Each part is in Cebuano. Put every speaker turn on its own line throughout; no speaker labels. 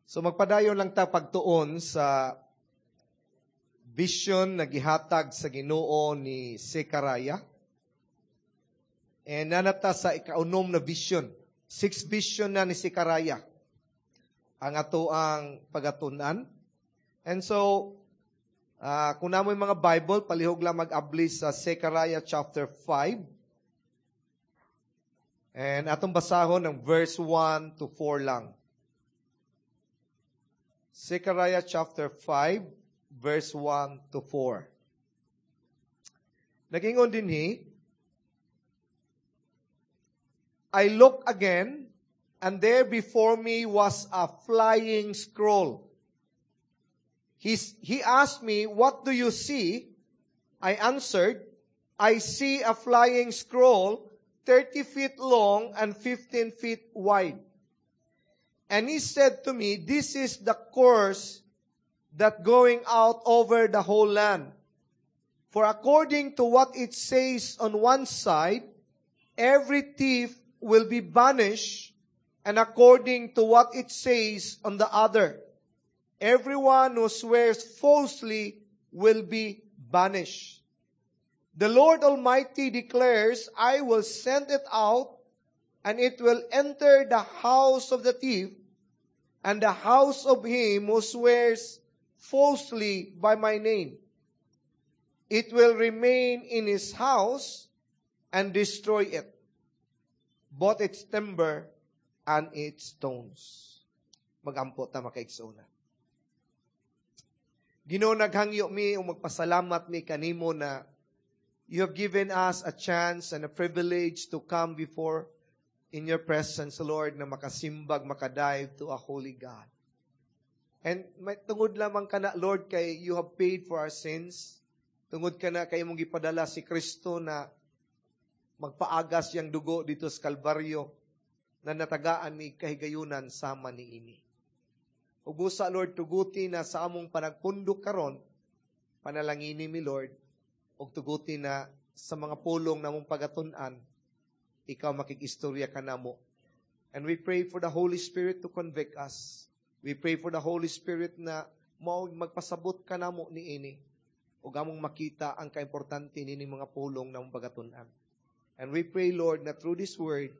So magpadayon lang ta pagtuon sa vision na gihatag sa Ginoo ni Zechariah. And nanata sa ikaunom na vision. Six vision na ni Zechariah ang ato ang pagatun-an. And so, kung namoy mga Bible, palihog lang mag-abli sa Zechariah chapter 5. And atong basahon ng verse 1 to 4 lang. Zechariah chapter 5, verse 1 to 4. Nagingon dinhi, "I look again, and there before me was a flying scroll. He asked me, 'What do you see?' I answered, 'I see a flying scroll, 30 feet long and 15 feet wide.' And he said to me, 'This is the curse that going out over the whole land. For according to what it says on one side, every thief will be banished, and according to what it says on the other, everyone who swears falsely will be banished. The Lord Almighty declares, I will send it out, and it will enter the house of the thief, and the house of him who swears falsely by my name. It will remain in his house and destroy it, both its timber and its stones." Magampo ta, makaigsoona. Ginoo, naghangyo mi ug magpasalamat mi kanimo na you have given us a chance and a privilege to come before in your presence, Lord, na makasimbag, makadive to a holy God. And may, tungod lamang kana, Lord, kay you have paid for our sins. Tungod kana kay imong gipadala si Kristo na magpaagas yang dugo dito sa Kalbaryo na natagaan mi kahigayunan sama ni ini. Ug busa, Lord, tuguti na sa among panagpundok karon, panalangini mi, Lord, ug tuguti na sa mga pulong namong pagatun-an, ikaw makig-istorya kanamo. And we pray for the Holy Spirit to convict us. We pray for the Holy Spirit na mao magpasabot kanamo ni ini ug among makita ang kaimportante nini mga pulong namong pagatun-an. And we pray, Lord, na through this word,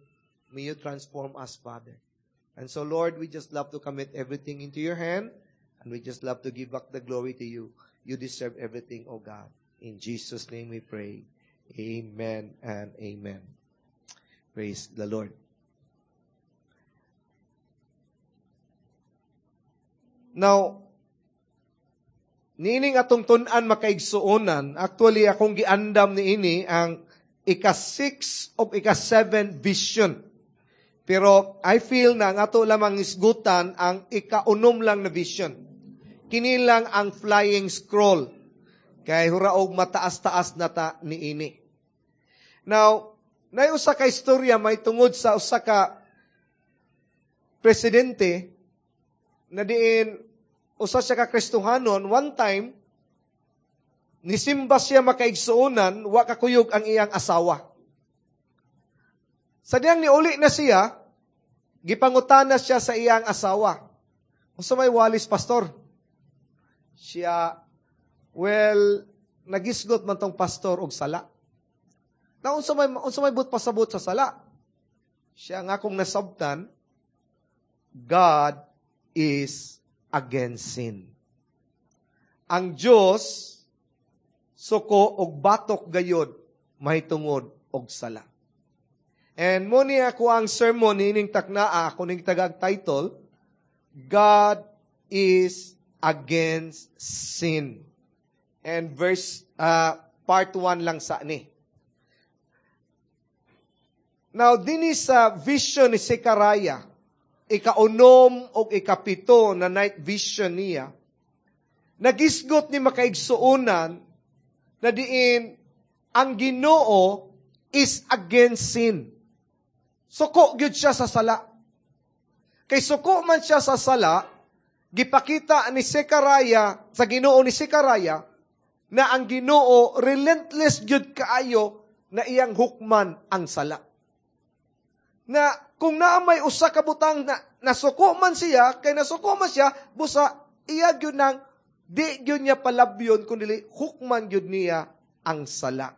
may you transform us, Father. And so, Lord, we just love to commit everything into your hand, and we just love to give back the glory to you. You deserve everything, O God. In Jesus' name we pray. Amen and amen. Praise the Lord. Now, niining atong tun-an, makaigsuonan, actually akong giandam niini ang ika-6 o ika-7 vision. Pero I feel na ang ato lamang isgutan ang ika-unom lang na vision. Kini lang ang flying scroll. Kay huraog mataas-taas na ta niini. Now, nay usa ka istorya may tungod sa usa ka presidente na diin usa siya ka Kristohanon. One time nisimba siya, makaigsuonan, wa kakuyog ang iyang asawa. Sa diyang niuli na siya, gipangutana siya sa iyang asawa, "Unsa may walis, pastor?" Siya, "Well, nagisgot man tong pastor og sala." "Na unsa may but pasabot sa sala?" Siya nga, "Kung nasabtan, God is against sin. Ang Dios suko og batok gayod mahitungod og sala." And mo ni ako ang sermon niining taknaa, ako ning tagag title, "God is Against Sin." And verse part 1 lang sa ni. Now, dinhi sa vision ni Zechariah, ikaunom o ikapito na night vision niya, nagisgot ni makaigsuonan na diin ang Ginoo is against sin. Suko gyud siya sa sala. Kay suko man siya sa sala, gipakita ni Zechariah, sa Ginoo ni Zechariah, na ang Ginoo relentless gyud kaayo na iyang hukman ang sala. Na kung naa may usa ka butang na nasuko man siya, kay nasuko man siya, busa iya gyud nang di gyud niya palabyon kun dili hukman gyud niya ang sala.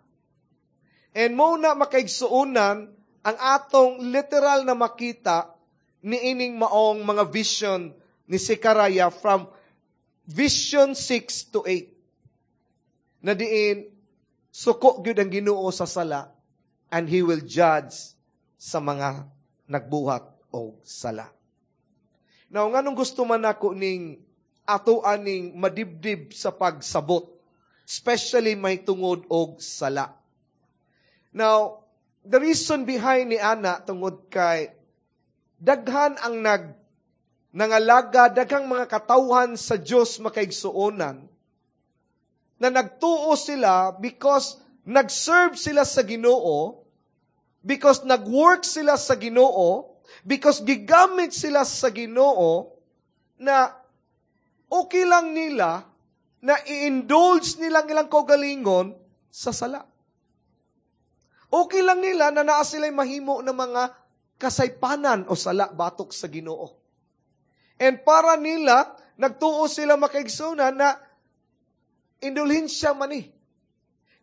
And mao na, makaigsuonan, ang atong literal na makita niining maong mga vision ni Zechariah from vision 6 to 8. Na diin suko gyud ang Ginoo sa sala and He will judge sa mga nagbuhat og sala. Now, nganong gusto man nako ning ato aning madibdib sa pagsabot, especially may tungod og sala? Now, the reason behind ni ana tungod kay daghan ang nangalaga, daghang mga katawhan sa Dios, makaigsuonan, na nagtuo sila because nag-serve sila sa Ginoo, because nag-work sila sa Ginoo, because gigamit sila sa Ginoo, na okay lang nila na i-indulge nilang ilang kaugalingon sa sala. Okay lang nila na naa sila'y mahimo ng mga kasaypanan o sala batok sa Ginoo. And para nila, nagtuo sila, makaigsuonan, na indulhensya man ni.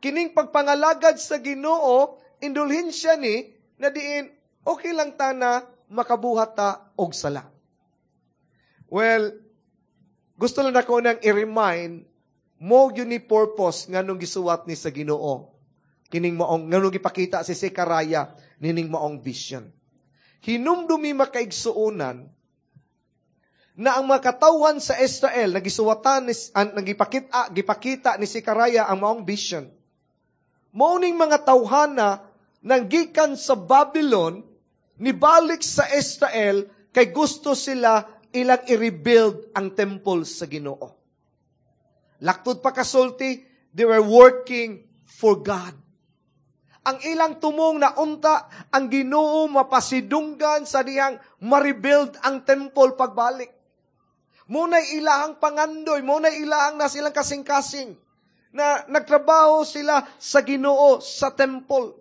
Kining pagpangalagad sa Ginoo, indulhensya ni, na diin, okay lang ta na makabuhat ta og sala. Well, gusto lang nako nang i-remind mo yun ni purpose nganong gisuwat ni sa Ginoo. Kining maong nganong gipakita si Zechariah nining maong vision. Hinumdumi, makaigsuonan, na ang mga katawhan sa Israel na gisuwatan ni ang nagipakita gipakita ni Zechariah ang maong vision. Mao ning mga tawhana nang gikan sa Babylon nibalik sa Israel kay gusto sila ilang i-rebuild ang temple sa Ginoo. Laktod pa kasulti, they were working for God. Ang ilang tumong na unta ang Ginoo mapasidunggan sa dihang ma-rebuild ang temple pagbalik. Mao na'y ilahang pangandoy, mao na'y ilahang na silang kasing-kasing na nagtrabaho sila sa Ginoo sa temple.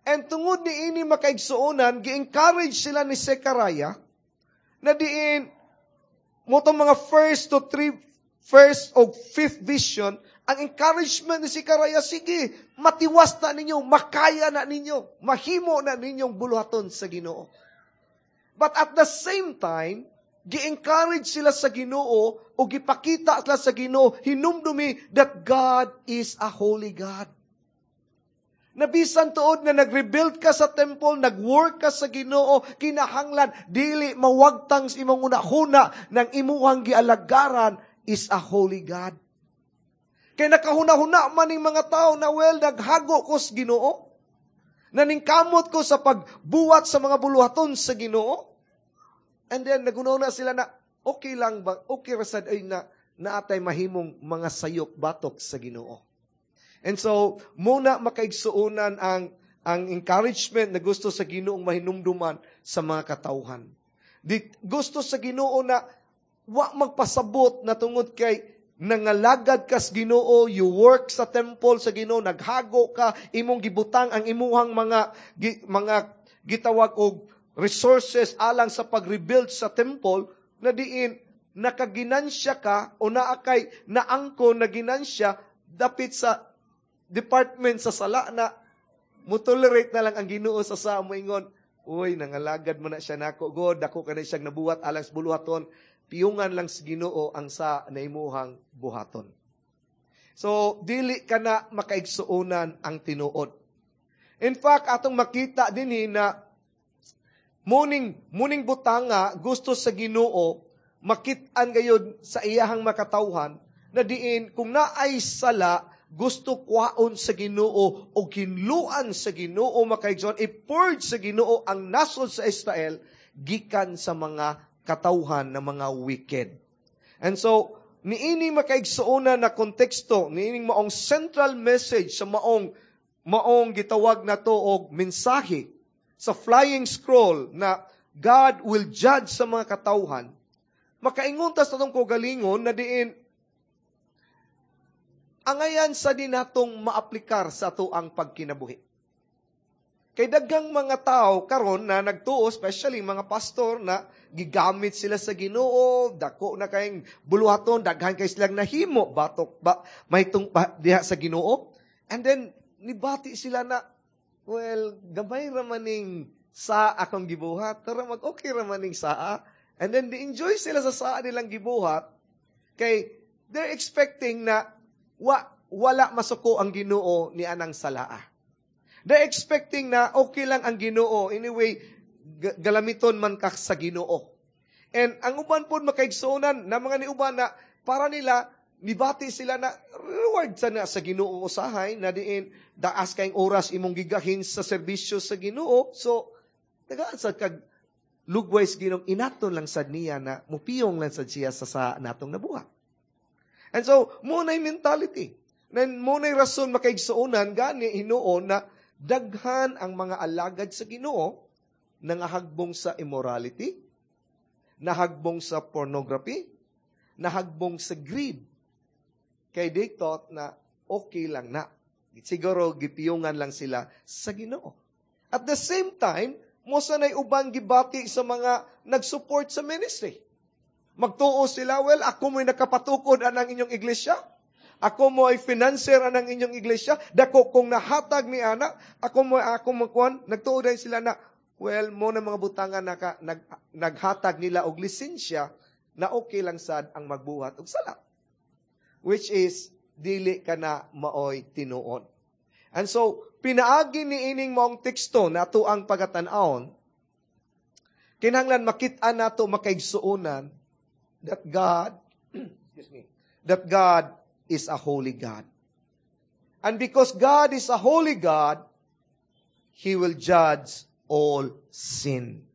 And tungod ni ini, makaigsuonan, gi-encourage sila ni Zechariah na diin mao tong mga first to three, first o fifth vision, ang encouragement ni Zechariah, sige, matiwas na ninyo, makaya na ninyo, mahimo na ninyong buluhaton sa Ginoo. But at the same time, gi-encourage sila sa Ginoo o gipakita sila sa Ginoo, hinumdumi that God is a holy God. Nabisan tuod na nag-rebuild ka sa temple, nag-work ka sa Ginoo, kinahanglan dili mawagtang sa imong hunahuna ng imuhang gialagaran is a holy God. Kay nakahuna-huna man ning mga tao na, well, naghago ko sa Ginoo. Naningkamot ko sa pagbuhat sa mga buluhaton sa Ginoo. And then naghuna sila na okay lang ba, okay ra sad ay na naatay mahimong mga sayop batok sa Ginoo. And so, mao na, makaigsuonan, ang encouragement na gusto sa Ginoong mahinumduman sa mga katawhan. Di, gusto sa Ginoo na wa magpasabot na tungod kay nangalagad ka sa Ginoo, you work sa temple sa Ginoo, naghago ka, imong gibutang ang imuhang mga gitawag og resources alang sa pag-rebuild sa temple, na diin nakaginansya ka o naa kay naangko na ginansya dapit sa department sa sala na mo-tolerate na lang ang Ginoo sa moingon, "Uy, nangalagad mo na siya nako, God, dako ka na siyang nabuhat alang sa buluhaton." Piyungan lang sa Ginoo ang sa naimuhang buhaton. So, dili ka na, makaigsuonan, ang tinuod. In fact, atong makita dinhi na muning butanga gusto sa Ginoo makit-an gayud sa iyahang makatawhan na diin kung naay sala, gusto kwaon sa Ginoo o hinluan sa Ginoo, makaigsoon, i-purge sa Ginoo ang nasod sa Israel gikan sa mga katawhan ng mga wicked. And so, niini, makaigsuonan, na konteksto, niining maong central message sa maong gitawag na to og mensahe sa flying scroll na God will judge sa mga katawhan, makaingon ta sa atong kaugalingon na diin angayan sa di natong maaplikar sa ato ang pagkinabuhi. Kay daghang mga tao karon na nagtuo, especially mga pastor na gigamit sila sa Ginoo, dako na kayong buluhaton, daghan kay silang nahimo batok ba may tung diha sa Ginoo. And then nibati sila na, "Well, gamay ra maning sa akong gibuhat, tara mag okay ra maning saa." And then di enjoy sila sa saa nilang gibuhat kay they're expecting na wala masuko ang Ginoo ni anang salaa. They're expecting na okay lang ang Ginoo. Anyway, galamiton man ka sa Ginoo. And ang uban pod, makaigsuonan, na mga niuban na para nila nibati sila na reward sa na sa Ginoo usahay na diin daas kayong oras imong gigahin sa serbisyo sa Ginoo. So tagaan sa kag lugway sa Ginoo, inaton lang sad niya na mupiyong lang sad siya sa natong nabuhat. And so mo na mentality. Then mo na rason, makaigsuonan, gani hinuon na daghan ang mga alagad sa Ginoo nangahagbong sa immorality, nahagbong sa pornography, nahagbong sa greed. Kay they thought na okay lang na. Siguro gipiyungan lang sila sa Ginoo. At the same time, mo sa nay ubang gibati sa mga nag-support sa ministry. Magtuo sila, "Well, ako mo'y nakapatukod anang inyong iglesia. Ako mo ay financer anang inyong iglesia. Dako kong nahatag ni ana. Ako mo ako makuan." Nagtuo din sila na, well, mo na mga butangan naghatag nila og lisensya na okay lang sad ang magbuhat og sala. Which is, dili ka na maoy tinuod. And so, pinaagi ni ining maong teksto na ato ang pagatan-awon, kinahanglan makit-an nato, makaigsuonan, that God, excuse me, that God is a holy God. And because God is a holy God, He will judge all sin.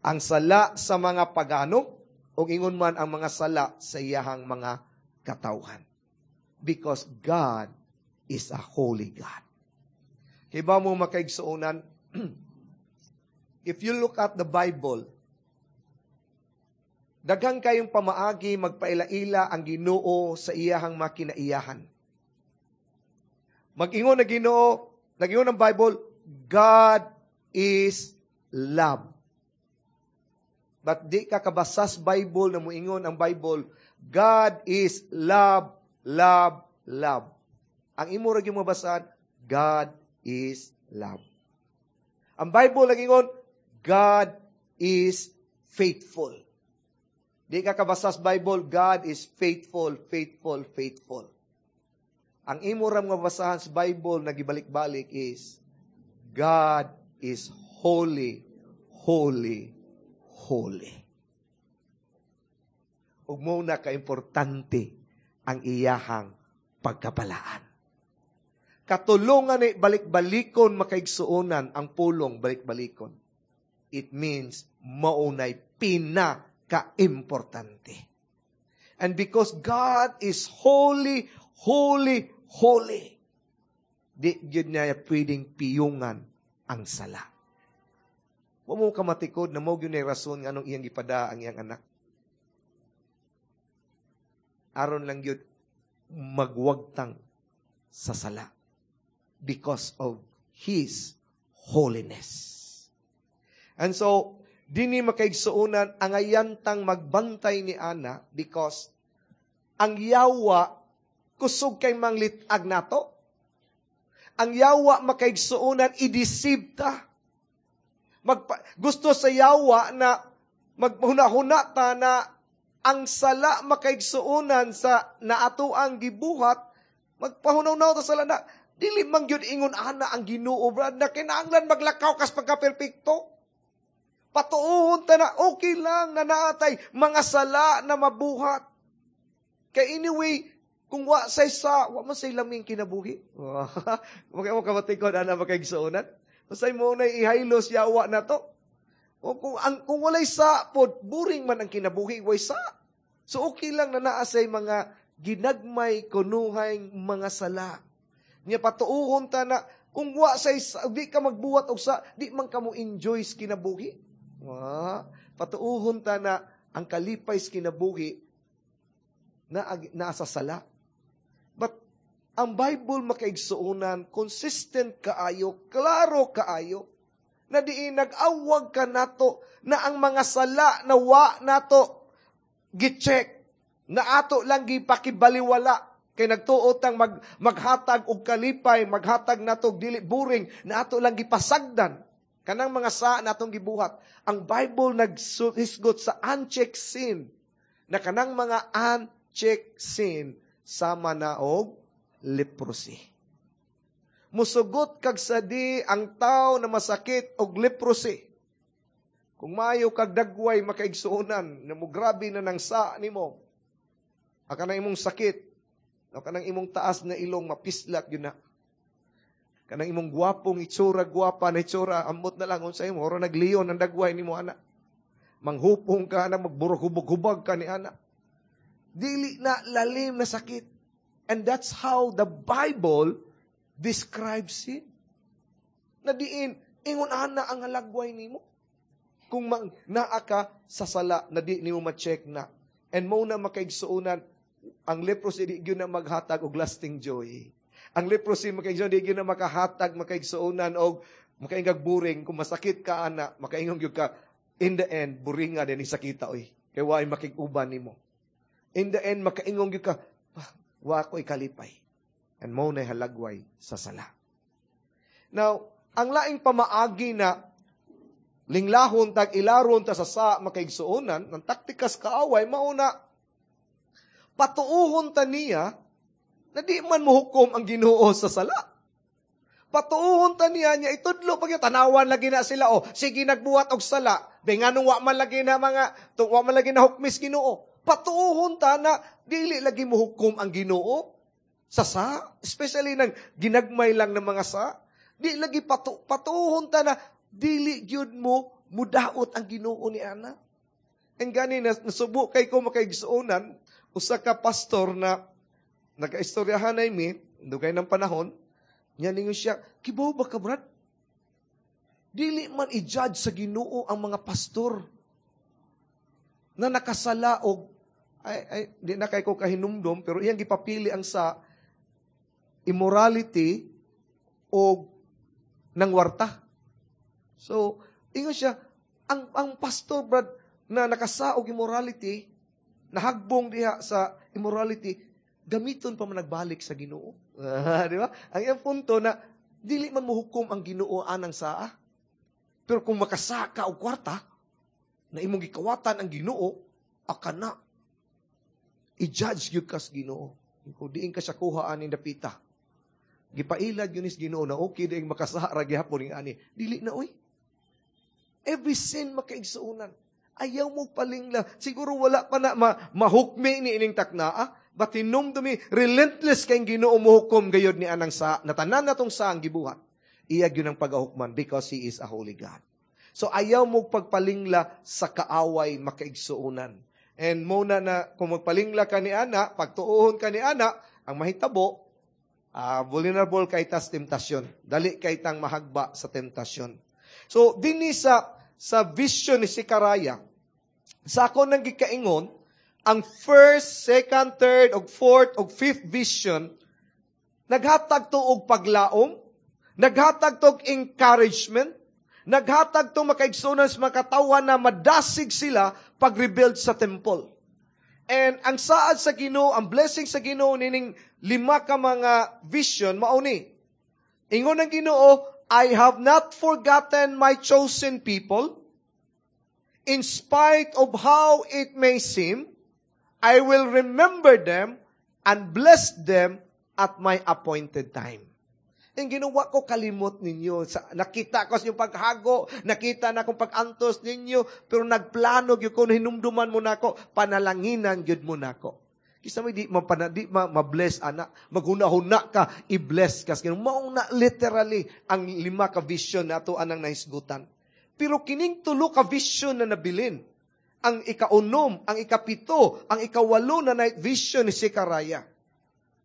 Ang sala sa mga pagano, o ingon man ang mga sala sa iyahang mga katawhan. Because God is a holy God. Kay ba mo, makaigsuonan, if you look at the Bible, daghan kayong pamaagi magpaila-ila ang Ginoo sa iyahang makinaiyahan. Mag-ingon na Ginoo, nag-ingon ang Bible, "God is love." But di ka kabasas Bible na muingon ang Bible, "God is love, love, love." Ang imo ra gyud mabasahan, "God is love." Ang Bible nagingon, "God is faithful." Di ka kabasas Bible, "God is faithful, faithful, faithful." Ang imo ra mabasahan sa Bible na gibalik-balik is, "God is holy, holy, holy." Ug mo na ka-importante ang iyahang pagkabalaan. Katulungan ni balik-balikon, makaigsuonan, ang pulong balik-balikon. It means maunay pinaka-importante. And because God is holy, holy, holy, di gyud niya pwedeng piyungan ang sala. Wa mo kamatikod na mo gyud ni rason nga anong iyang gipada ang iyang anak. Aron lang gyud magwagtang sa sala because of His holiness. And so, dini, makaigsuonan, ang ayantang magbantay ni ana because ang yawa kusog kay manglitag nato. Ang yawa, makaigsuonan, i-deceive ta. Gusto sa yawa na maghuna-huna ta na ang sala, makaigsuonan, sa naato ang gibuhat, magpahunaw-naw ta sala na dili man gyud ingon ana ang Ginoo, brad, na kinahanglan maglakaw kas pagka-perpekto. Patuohon ta na okay lang na naatay mga sala na mabuhat. Kay anyway, kung wa say sa, wa man say laming kinabuhi. Maka mo kamatikod ana, makaigsuonan. Masay mo na ihaylos yawa na to. O kung walay sa pod, boring man ang kinabuhi, way sa. So okay lang na naa say mga ginagmay kunuhay mga sala. Nya patuohon ta na kung wa say di ka magbuhat og sa, di man ka mo enjoy sa kinabuhi. Wa, patuohon ta na ang kalipay sa kinabuhi na naa sa sala. But Ang Bible, makaigsuonan, consistent kaayo, klaro kaayo, na diin nag-awag ka nato na ang mga sala na wa nato gi-check, na ato lang gipakibaliwala, kay nagtuo tang maghatag og kalipay, maghatag nato og dili boring, na ato lang gipasagdan kanang mga sa natong gibuhat. Ang Bible naghisgot sa unchecked sin, na kanang mga unchecked sin sama na og leprosy. Musugot kag sadi ang tao na masakit og leprosy. Kung maayo kag dagway, makaigsuonan, na mo grabe na nang sa nimo. Aka nang imong sakit, o kanang imong taas na ilong mapislat yun na. Kanang imong gwapong itsura, gwapa na itsura, ambot na lang unsa imo, oro nagliyon ang dagway nimo ana. Manghupong ka na, magburok-hubog-hubag ka ni ana. Dili na lalim na sakit. And that's how the Bible describes it. Na diin, ingon ana ang halagway nimo. Kung naa ka sa sala na di nimo ma-check na. And mo na, makaigsuonan, ang leprosy di gyud na maghatag og lasting joy. Ang leprosy, makaigsuonan, di gyud na makahatag, makaigsuonan, og makaingag boring. Kung masakit ka ana, makaingon gyud ka, "In the end, boringa din sakita oy. Kay waay makig-uban nimo." In the end, makaingon gyud ka, "Ah, wa ko'y kalipay." And mo na halagway sa sala. Now, ang laing pamaagi na linglahon tag ilaron ta sa makaigsuonan, ng taktikas kaaway, mauna, patuuhon ta niya na di man mohukom ang Ginoo sa sala. Patuuhon ta niya niya itudlo pag tanawan lagi na sila, oh, sige nagbuhat og sala, be nganong wa man lagi na hukmis Ginoo. Patuuhon ta na dili lagi mohukom ang Ginoo sa, especially nang ginagmay lang ng mga sa. Di lagi patuuhon ta na dili gyud mo mudaot ang Ginoo ni ana. And gani nasubo kay ko, makaigsuonan, usa ka pastor na nagaistoryahan ay mi dugay ng panahon niya, ningon siya, "Kibaw ba ka, Brad? Dili man i-judge sa Ginoo ang mga pastor na nakasala og," ay di na kay ko kahinumdom, pero iyang gipapili ang sa immorality o ng warta. So, ingon siya, ang pastor, Brad, na nakasaog immorality, nahagbong diha sa immorality, gamiton pa man nagbalik sa Ginoo. Di ba? Ang iyang punto na dili man mohukom ang Ginoo anang saa. Pero kung makasaka og kwarta, na imong gikawatan ang Ginoo, akana i-judge gyud kas Ginoo. Kung diin ka siya kuha aning dapita. Gipailad yun is Ginoo na okay diing makasaha ra gihapon ning ani. Dili na oy. Every sin, makaigsuonan. Ayaw mo palingla. Siguro wala pa na mahukmi ni ining taknaa. But hinumdumi, relentless kay Ginoo mohukom gayod ni anang sa, natanan na tong sa ang gibuhat. Iya gyud ang pagahukman because He is a holy God. So ayaw mo pagpalingla sa kaaway, makaigsuonan. And muna na kung magpalingla ka ni ana, pagtuohon ka ni ana, ang mahitabo, vulnerable kay tas temptasyon. Dali kay tang mahagba sa temptasyon. So dinhi sa vision ni Zechariah, sa ako nang gikaingon, ang first, second, third, ug fourth, ug fifth vision, naghatag to og paglaom, naghatag to og encouragement, naghatag to, makaigsuonan, sa mga katawhan na madasig sila pag-rebuild sa temple. And ang saad sa Ginoo, ang blessing sa Ginoo nining lima ka mga vision mao ni. Ingon ang Ginoo, "I have not forgotten my chosen people. In spite of how it may seem, I will remember them and bless them at my appointed time." Ang ginawa ko kalimot ninyo. Nakita ko sa inyong paghago, nakita na akong pag-antos ninyo, pero nagplano gyud ko, hinumduman mo nako, panalanginan gyud mo nako. Kisa may di ma-bless ana, maghuna-huna ka, i-bless ka. Mao na literally ang lima ka vision na ato anang nahisgutan. Pero kining tulo ka vision na nabilin, ang ikaunom, ang ikapito, ang ikawalo na night vision ni Zechariah.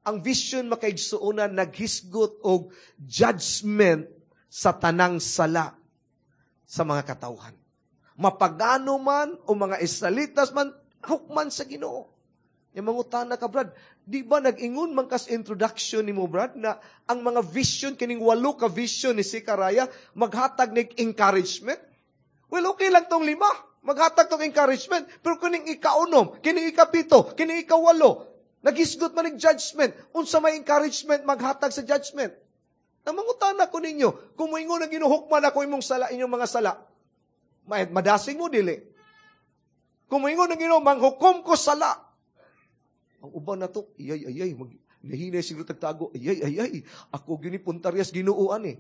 Ang vision, makaigsuonan, naghisgot og judgment sa tanang sala sa mga katawhan. Mapagano man o mga Israelitas man, hukman sa Ginoo. Yung mangutana ka, "Brad, di ba nag-ingon man kas introduction ni mo, Brad, na ang mga vision, kining walo ka vision ni Zechariah, maghatag nig encouragement?" Well, okay lang tong lima. Maghatag tong encouragement. Pero kining ikaunom, kining ikapito, kining ikawalo, naghisgot man nig judgment. Unsa may encouragement maghatag sa judgment? Namangutana ko ninyo, kung moingon ang Ginoo, "Hukman ako imong sala, inyong mga sala," madasig mo, dili? Kung moingon ang Ginoo, "Manghukom ko sala," ang uban na to, "Ayay, ayay, nahinay siguro tagtago, ayay, ayay, ako gini puntaryas Ginoo ani."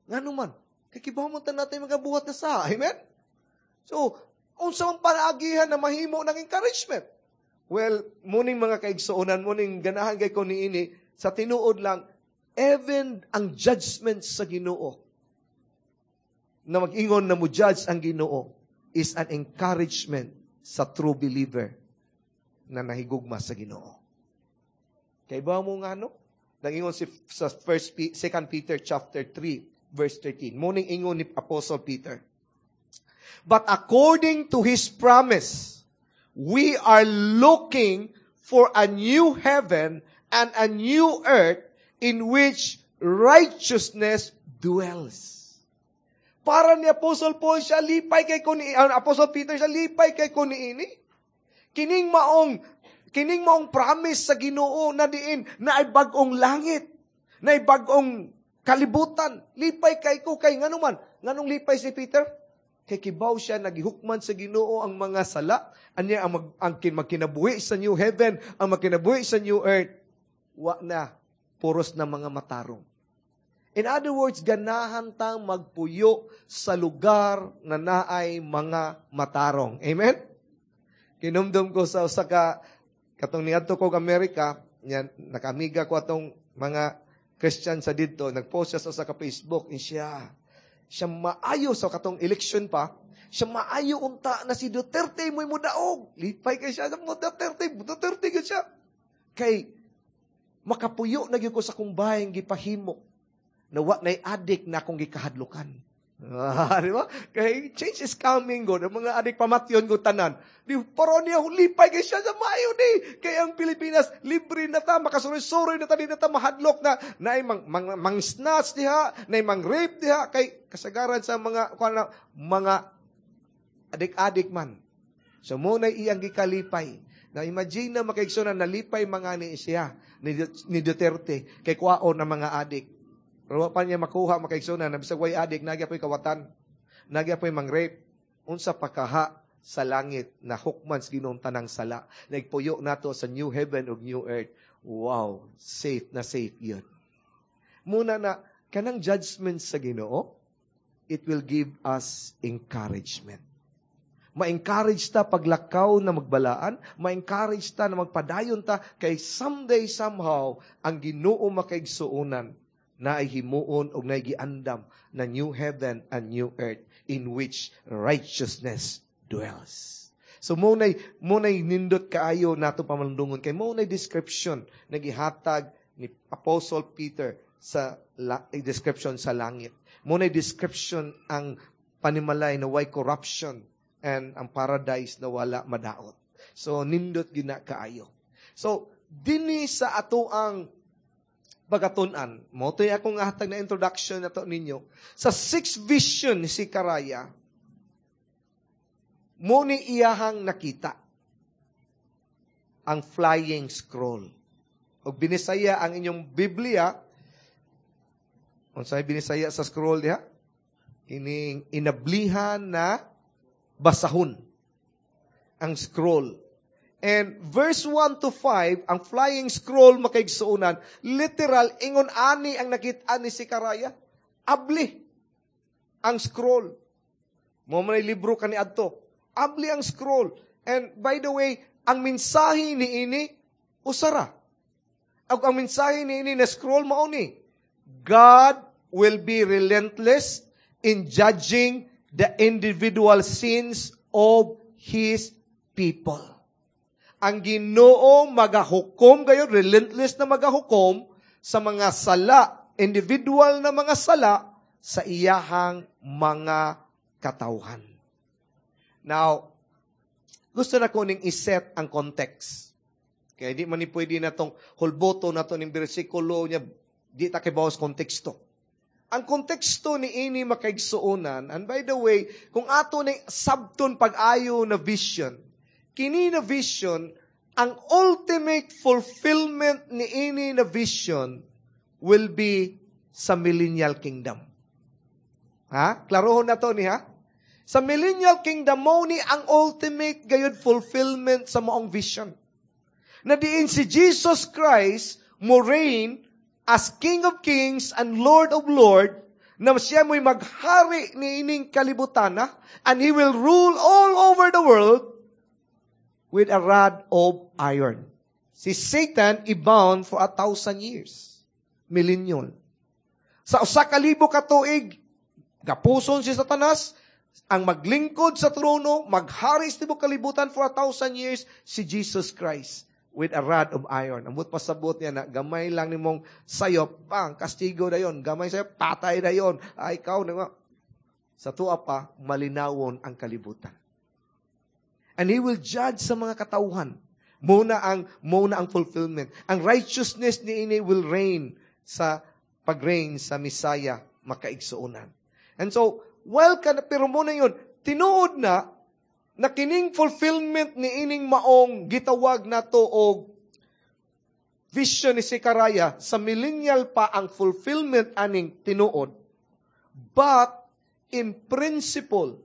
Ngano man? Kay kibaw man ta natin mga buhat na sa. Amen? So, unsa man panaagihan na mahimo ng encouragement? Well, muning mga kaigsuonan, muning ganahan kay ko niini, sa tinuod lang, even ang judgment sa Ginoo, na mag-ingon na mo judge ang Ginoo, is an encouragement sa true believer na nahigugma sa Ginoo. Kay ba mo nga no? Nangingon si sa first 2 Peter chapter 3 verse 13. Muning ingon ni Apostle Peter, "But according to his promise, we are looking for a new heaven and a new earth in which righteousness dwells." Para ni Apostle Paul siya lipay kay ko ni Apostle Peter siya lipay kay ko niini. Kining maong promise sa Ginoo na diin na ay bag-ong langit, na ay bag-ong kalibutan. Lipay kay ko kay ngano man, nganong lipay si Peter? Kay kibaw siya nagihukman sa Ginoo ang mga sala, anya ang magkinabuhi sa new heaven, ang magkinabuhi sa new earth. Wa na puros na mga matarong. In other words, ganahan tang magpuyo sa lugar na naay mga matarong. Amen? Kinumdum ko sa usa ka katong niadto ko Amerika, yan, nakamiga ko atong mga Christian sa didto, nagpost siya sa usa ka Facebook, siya siya maayo sa katong election pa, siya maayo unta na si Duterte mo'y mudaog. Lipay kay siya, mo Duterte, Duterte gyud siya. Kay makapuyo na gyud ko sa kong bahay gipahimo na wa nay adik na akong gikahadlukan. Ah, di ba? Kay change is coming god. Ang mga adik pamatyon go tanan. Di pero niya lipay kay siya sa maayo ni. Kay ang Pilipinas libre na ta, makasuroy-suroy na ta, di na ta mahadlok na naay mang snatch diha, naay mang rape diha kay kasagaran sa mga kuan na, mga adik-adik man. So mo na iyang gikalipay. Na imagine na makaigsoon na nalipay mga ni siya ni Duterte kay kuwaon ng mga adik. Pero wa pa niya makuha makaigsoon na bisag way adik nagya po'y kawatan. Nagya po'y mang-rape. Unsa pa kaha sa langit na hukman sa Ginoong tanang sala. Nagpuyo nato sa new heaven ug new earth. Wow, safe na safe yun. Muna na kanang judgment sa Ginoo, it will give us encouragement. Ma-encourage ta paglakaw na magbalaan, ma-encourage ta na magpadayon ta kay someday somehow ang Ginoo makaigsuonan na ay himuon og nagiandam na new heaven and new earth in which righteousness dwells. So munay nindot kaayo nato pamalundungon kay munay description na gihatag ni Apostle Peter sa description sa langit. Munay description ang panimalay na way corruption and ang paradise na wala madaot. So nindot gina kaayo. So dinhi sa ato ang pagkatun-an, mo to'y akong hatag na introduction na to ninyo. Sa sixth vision ni Zechariah, mo ni iyahang nakita ang flying scroll. Og binisaya ang inyong Biblia, unsay binisaya sa scroll diha? Kining inablihan na basahon ang scroll. And verse 1 to 5, ang flying scroll makaigsuonan, literal, ingon ani ang nakita ni Zechariah. Abli ang scroll. Mo man libro kani adto. Abli ang scroll. And by the way, ang mensahe ni ini usara. Ang mensahe ni ini na scroll mao ni, God will be relentless in judging the individual sins of His people. Ang Ginoo magahukom gayon, relentless na magahukom sa mga sala, individual na mga sala sa iyahang mga katawhan. Now, gusto na ko ning iset ang context. Kaya di man ni pwede na tong hulboto na to ning bersikulo niya, di ta kay sa konteksto. Ang konteksto ni ini, makaigsuonan, and by the way, kung ato ni sabton pag-ayo na vision, kini na vision, ang ultimate fulfillment ni ini na vision will be sa millennial kingdom. Ha? Klarohon na to ni ha? Sa millennial kingdom mo ni ang ultimate gayud fulfillment sa maong vision. Na diin si Jesus Christ mo reign as King of Kings and Lord of Lord, na siya mo'y maghari ni ining kalibutan na, and He will rule all over the world with a rod of iron. Si Satan i-bound for 1,000 years. Millennial. Sa 1,000 ka tuig, gapuson si Satanas, ang maglingkod sa trono, maghari sa tibok kalibutan for 1,000 years, si Jesus Christ with a rod of iron. Ambot pasabot niya na gamay lang nimong sayop, bang, kastigo na yon. Gamay sayop, patay na yon. Ay, ikaw, na sa tuwa pa, malinawon ang kalibutan. And He will judge sa mga katauhan. Muna ang fulfillment. Ang righteousness ni ini will reign sa pag-reign sa Messiah makaigsuonan. And so, well, ka, pero muna yun, tinuod na, na kining fulfillment ni ining maong gitawag nato og vision ni Zechariah, sa millennial pa ang fulfillment aning tinuod. But, in principle,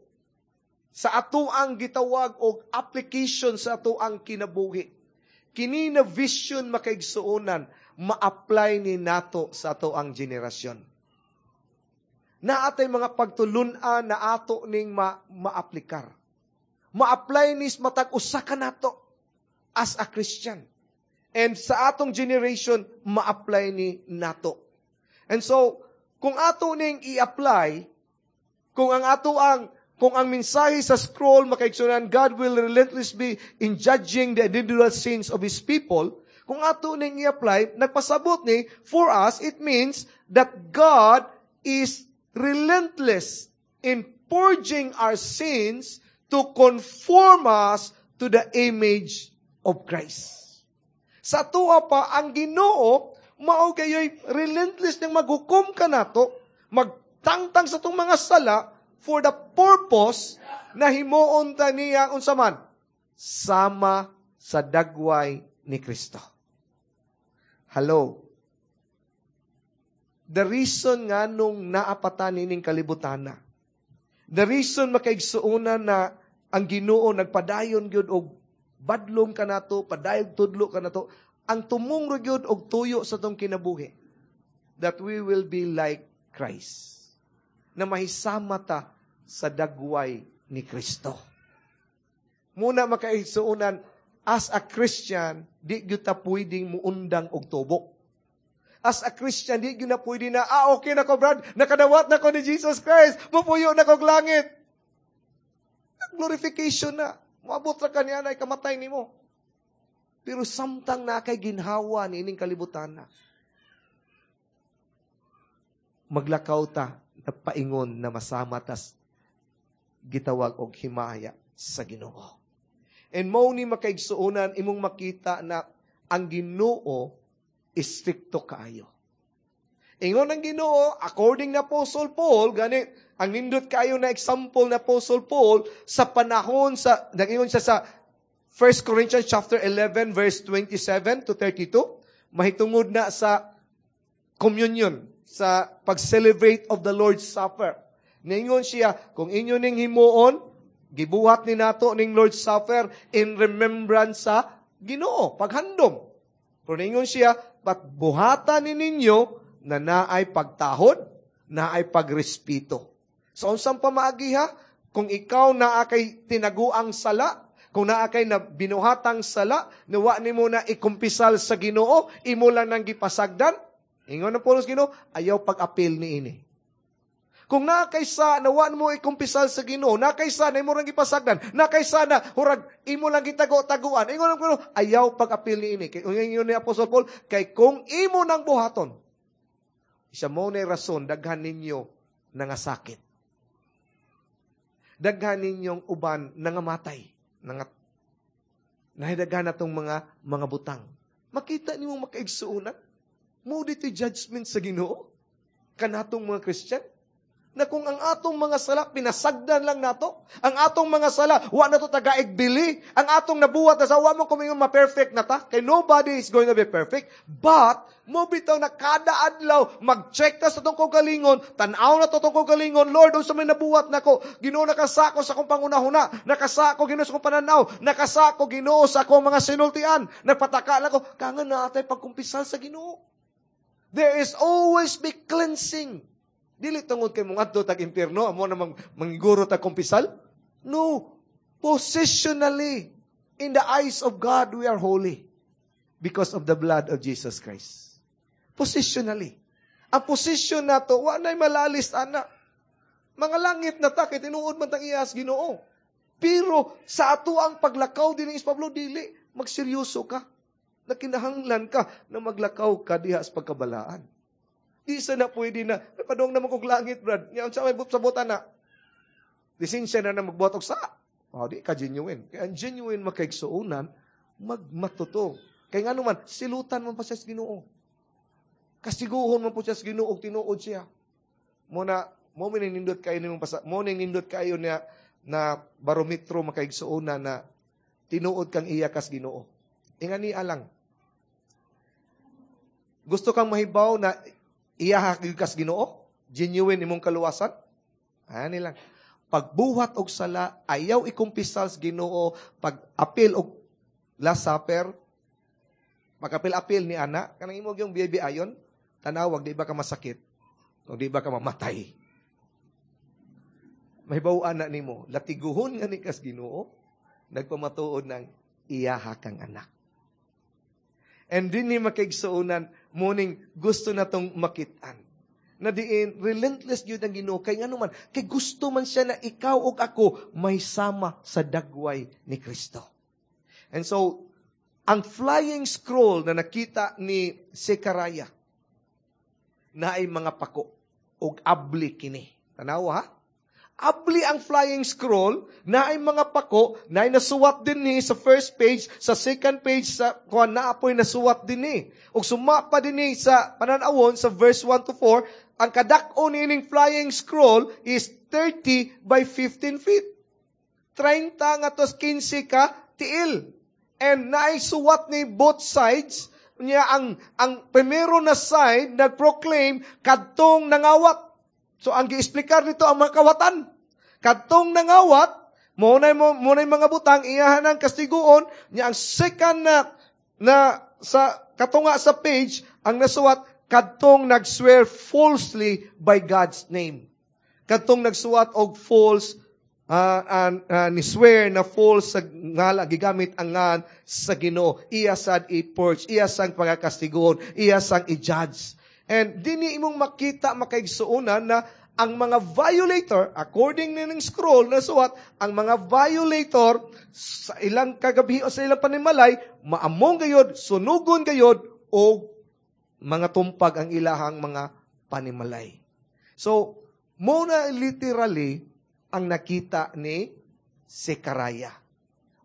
sa ato ang gitawag og application sa ato ang kinabuhi, kini na vision, makaigsuonan, ma-apply ni nato sa ato ang generasyon. Naatay mga pagtulunan na ato ning ma-aplikar. Ma-apply nis matag usa ka nato as a Christian. And sa atong generation, ma-apply ni nato. And so, kung ato ning i-apply, kung ang mensahe sa scroll, makaigsunan, God will relentlessly be in judging the individual sins of His people, kung ato ning i-apply, nagpasabot ni, for us, it means that God is relentless in purging our sins to conform us to the image of Christ. Sa tuwa pa, ang Ginoo, mao gayoy relentless nang maghukom ka nato, magtangtang sa itong mga sala, for the purpose na himuon ta niya unsa man, sama sa dagway ni Kristo. Hello. The reason nga nung naapatan nining kalibutan na, the reason, makaigsuonan, na ang Ginoo nagpadayon gyud og badlong kanato, padayon tudlo kanato, ang tumong ra gyud og tuyo sa tong kinabuhi, that we will be like Christ. Na mahisama ta sa dagway ni Kristo. Muna, makaigsuonan, as a Christian, di gyud ta pwedeng muundang og tubok. As a Christian, di gyud na pwede na, "Ah, okay na ko, Brad, nakadawat na ko ni Jesus Christ, mupuyo na kog langit." Glorification na. Moabot ra kaniya na ikamatay nimo. Pero samtang na kay ginhawa ni ining kalibutan na, maglakaw ta na paingon na masama tas gitawag og himaya sa Ginoo. And mo ni, makaigsuonan, imong makita na ang Ginoo istrikto kaayo. Ingon ang Ginoo, according na Apostle Paul, gani ang nindot kayo na example na Apostle Paul sa panahon sa nag-ingon siya sa 1 Corinthians chapter 11 verse 27 to 32, mahitungod na sa communion, sa pag-celebrate of the Lord's Supper. Ningon siya, kung inyo ning himuon, gibuhat ni nato ning Lord's Supper in remembrance sa Ginoo, paghandom. Pero ningon siya, but buhatan ni ninyo na naay pagtahod, naay pagrespeto. So, unsang pamaagi ha? Kung ikaw naa kay tinaguang sala, kung naa kay na binuhatang sala, nawa nimo na ikumpisal sa Ginoo, imo lang nang gipasagdan, ingon ng Paulos Ginoo, ayaw pag-apil ni ini. Kung naa kay sa nawa mo ikumpisal sa Ginoo, naa kay sa na imo rang gipasagdan, naa kay sa na hurag imo lang gitago-taguan, ingon ng Ginoo, ayaw pag-apil ni ini. Kay ingon ni Apostol Paul, kay kung imo nang buhaton, isa mo na rason daghan ninyo nangasakit. Daghan ninyong uban nangamatay, Nahidagan na tong mga butang. Makita nimo, makaigsuonan. Mao dito'y judgment sa Ginoo kanatong mga Christian. Na kung ang atong mga sala, pinasagdan lang nato. Ang atong mga sala, wa na to tagaig bili. Ang atong nabuhat na sa wa mo kumingon ma-perfect na ta. Kay nobody is going to be perfect. But, mo bitaw na kada adlaw, mag-check ta sa atong kaugalingon, tan-aw na to atong kaugalingon, "Lord, unsa may nabuhat nako? Ginoo, nakasako sa akong pangunahuna, nakasako, Ginoo, sa akong pananaw, nakasako, Ginoo, sa akong mga sinultian, nagpataka lang ko." Kangan na atay pagkumpisal sa Ginoo. There is always be cleansing. Dili tungod kay mong adto tag impierno, amo na mangguro tag kumpisal. No. Positionally, in the eyes of God, we are holy because of the blood of Jesus Christ. Positionally. Ang position nato, wa na'y malalis ana. Mga langit na ta, kay tinuod man tang iyas Ginoo. Pero sa ato ang paglakaw din is Pablo, dili, magseryoso ka. Nakinahanglan ka na maglakaw ka diha sa pagkabalaan. Di sa na pwede na, "Padong naman kog langit, brad. Nya, unsa may sabutan na? Lisensya na na magbuhat og sa." Oh, di ka genuine. Kaya ang genuine makaigsuonan, magmatuto. Kaya nga naman, silutan man pa siya sa Ginoo. Kastiguhon man po siya sa Ginoo, tinuod siya. Mo na, mo nindot kayo nimong pasa, mo nindot kayo niya na barometro, makaigsuonan, na tinuod kang iya kas Ginoo. Ingani alang. Gusto kang mahibaw na iya kas Ginoo? Genuine imong kaluwasan? Ani lang. Pagbuhat og sala, ayaw ikumpisal sa Ginoo, pag apil og Last Supper, pag-apil-apil ni ana, kanang imo yung baby ayon, tanawag, di ba ka masakit? O di ba ka mamatay? Mahibaw na nimo, latiguhon nga ni kas Ginoo, nagpamatuod ng iyaha kang anak. And din ni makaigsuonan, muning gusto na tong makitaan. Na diin, relentless yun ang Ginoo. Kay nga man, kay gusto man siya na ikaw ug ako may sama sa dagway ni Kristo. And so, ang flying scroll na nakita ni Zechariah, na ay mga pako, ug abli kini. Tanawa ha? Abli ang flying scroll, na ay mga pako, na ay nasuwat din ni sa first page, sa second page, sa kuan na apoy nasuwat din ni. Ug suma pa din ni sa pananawon sa verse 1 to 4, ang kadak-o nining flying scroll is 30 by 15 feet. 30 nga tos 15 ka tiil. And naay suwat ni both sides niya. Ang primero na side nag-proclaim kadtong nangawat. So ang giexplikar nito ang mga kawatan. Kadtong nangawat, mo na mga butang iyahan ang kastiguon niya. Ang second na sa katunga sa page ang nasuwat, kadtong nag-swear falsely by God's name. Kadtong nagsuwat og false ni swear na false sa ngala, gigamit ang ngan sa Ginoo, iya sad i-purge, iya sang pagkastiguon, iya sang i-judge. And dinhi imong makita, makaigsuonan, na ang mga violator, according ning scroll na suwat, ang mga violator sa ilang kagabi o sa ilang panimalay, maamong gayod, sunugon gayod, o mga tumpag ang ilahang mga panimalay. So, muna literally ang nakita ni Zechariah.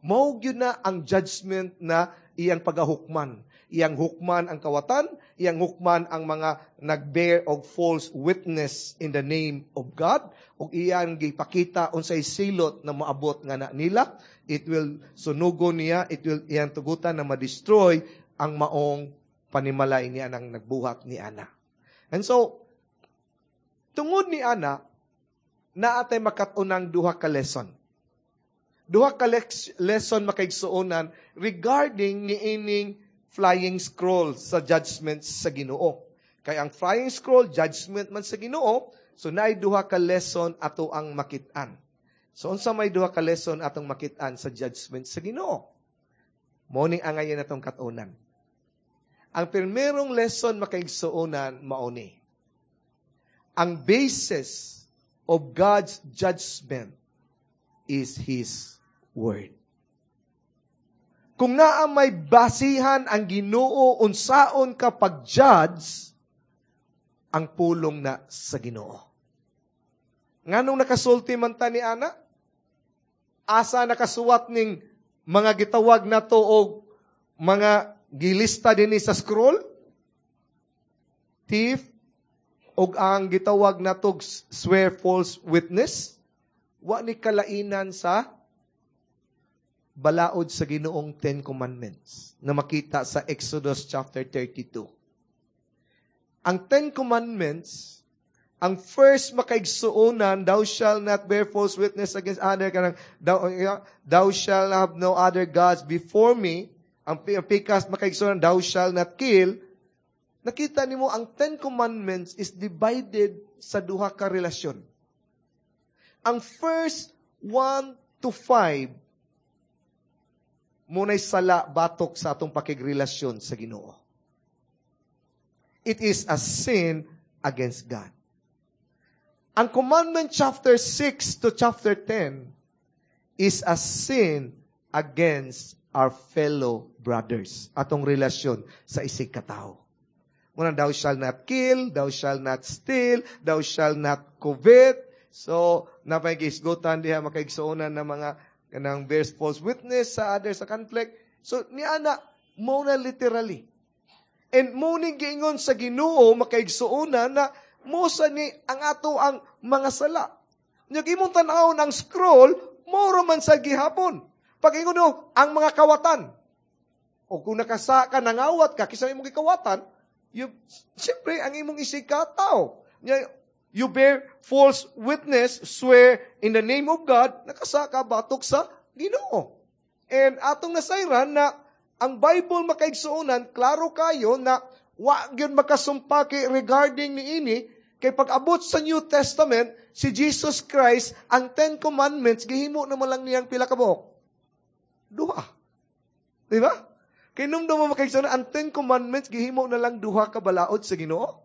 Mao gyud na ang judgment na iyang pagahukman. Iyang hukman ang kawatan, iyang hukman ang mga nag-bear og false witness in the name of God, ug iyang gipakita unsay silot na moabot nga na nila. It will sunugon niya, it will iyang tugutan na ma-destroy ang maong panimalay niya nang nagbuhat ni ana. And so, tungod ni ana, naatay makat-unang duha ka lesson. Duha ka lesson, makaigsuonan, regarding niining flying scroll sa judgment sa Ginoo. Kay ang flying scroll, judgment man sa Ginoo, so naay duha ka lesson ato ang makit-an. So unsa may duha ka lesson atong makit-an sa judgment sa Ginoo? Mo ning angayan atong kat-unan. Ang primerong lesson, makaigsuonan, mao ni: ang basis of God's judgment is His Word. Kung naa may basihan ang Ginoo unsaon ka pag-judge, ang pulong na sa Ginoo. Nganong nakasulti man ta ni ana? Asa nakasuwat ning Mga gitawag nato og mga gilista dinhi sa scroll, thief, og ang gitawag nato swear false witness, wa ni kalainan sa balaod sa Ginoong Ten Commandments na makita sa Exodus chapter 32. Ang Ten Commandments, ang first makaigsuonan, "Thou shall not bear false witness against other," kanang, "Thou shall have no other gods before me." Ang pikas makaigsuonan, "Thou shall not kill." Nakita nimo ang Ten Commandments is divided sa duha ka relasyon. Ang first 1 to 5, muna'y sala batok sa atong pakigrelasyon sa Ginoo. It is a sin against God. Ang commandment chapter 6 to chapter 10 is a sin against our fellow brothers. Atong relasyon sa isig katao. Muna, "Thou shall not kill," "Thou shall not steal," "Thou shall not covet." So, napay gisgutan diha makaigsuonan ng mga kanang bears false witness sa others sa conflict. So, niana, mo na literally. And mo ni giingon sa Ginoo makaigsuonan na mo sa ni ang ato ang mga sala. Nya imong tan-awon ang scroll, mo man sa gihapon. Pag ingon no, ang mga kawatan. O kung nakasa ka, nangawat ka, kisa imong gikawatan, you, siyempre, ang imong isig ka tao. You bear false witness, swear in the name of God, nakasa ka batok sa Ginoo. And atong nasayran na ang Bible makaigsuonan, klaro kayo na wa gyud makasumpaki regarding niini, kay pag-abot sa New Testament, si Jesus Christ, ang Ten Commandments, gihimo naman lang niyang pila ka buok? Duha. Di ba? Kay nung mo makaigsuonan, ang Ten Commandments, gihimo na lang duha ka balaod sa Ginoo.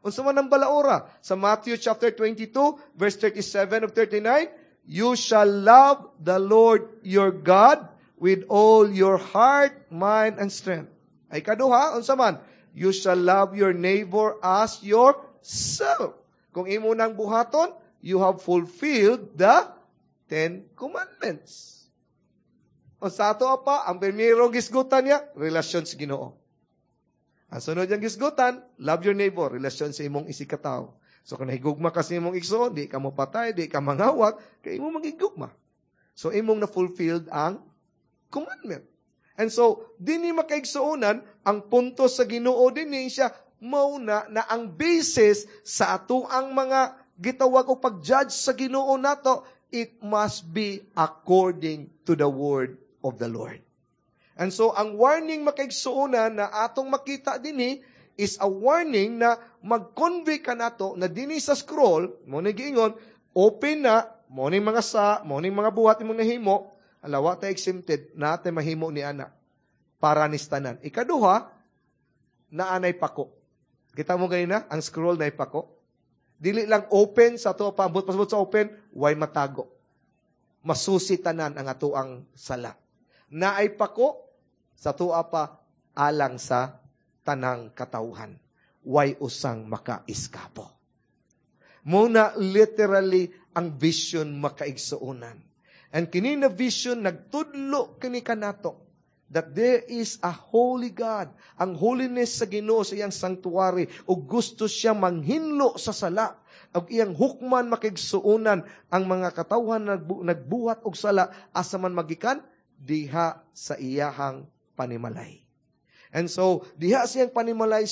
Unsa man ang balaora? Sa Matthew chapter 22, verse 37 of 39, "You shall love the Lord your God with all your heart, mind, and strength." Ay kaduha, unsa man? "You shall love your neighbor as yourself." Kung imo nang buhaton, you have fulfilled the Ten Commandments. O sa ato pa, ang primero gisgutan niya, relasyon sa Ginoo. Ang sunod niyang gisgutan, love your neighbor, relasyon sa imong isigkatawo. So kung nahigugma ka sa imong igsoon, di ka mo patay, di ka mangawat, kay imong magigugma. So imong na-fulfilled ang commandment. And so, dinhi makaigsuonan, ang punto sa Ginoo dinhi siya, mauna na ang basis sa ato ang mga gitawag o pag-judge sa Ginoo nato, it must be according to the word of the Lord. And so, ang warning makaigsuonan na atong makita dinhi is a warning na mag-convey ka nato na dinhi sa scroll, mo ni giingon, open na, mo ni mga sa, mo ni mga buhat imong nahimo, alawa ta exempted, na tay mahimo ni ana para ni tanan. Ikaduha, naanay pako. Kita mo ganina, ang scroll na ipako. Dili lang open sa ato paabot pasabot sa open, way matago. Masusi tanan ang ato ang sala. Naay pako sa tuwa pa alang sa tanang katawhan. Way usang makaiskapo. Muna literally ang vision makaigsuonan. And kini na vision nagtudlo kini kanato that there is a holy God. Ang holiness sa Ginoo sa iyang sanctuary ug gusto siya manghinlo sa sala. Ug iyang hukman makigsuonan ang mga katawhan nagbuhat og sala asa man magikan diha sa iyahang panimalay. And so, diha siyang panimalay,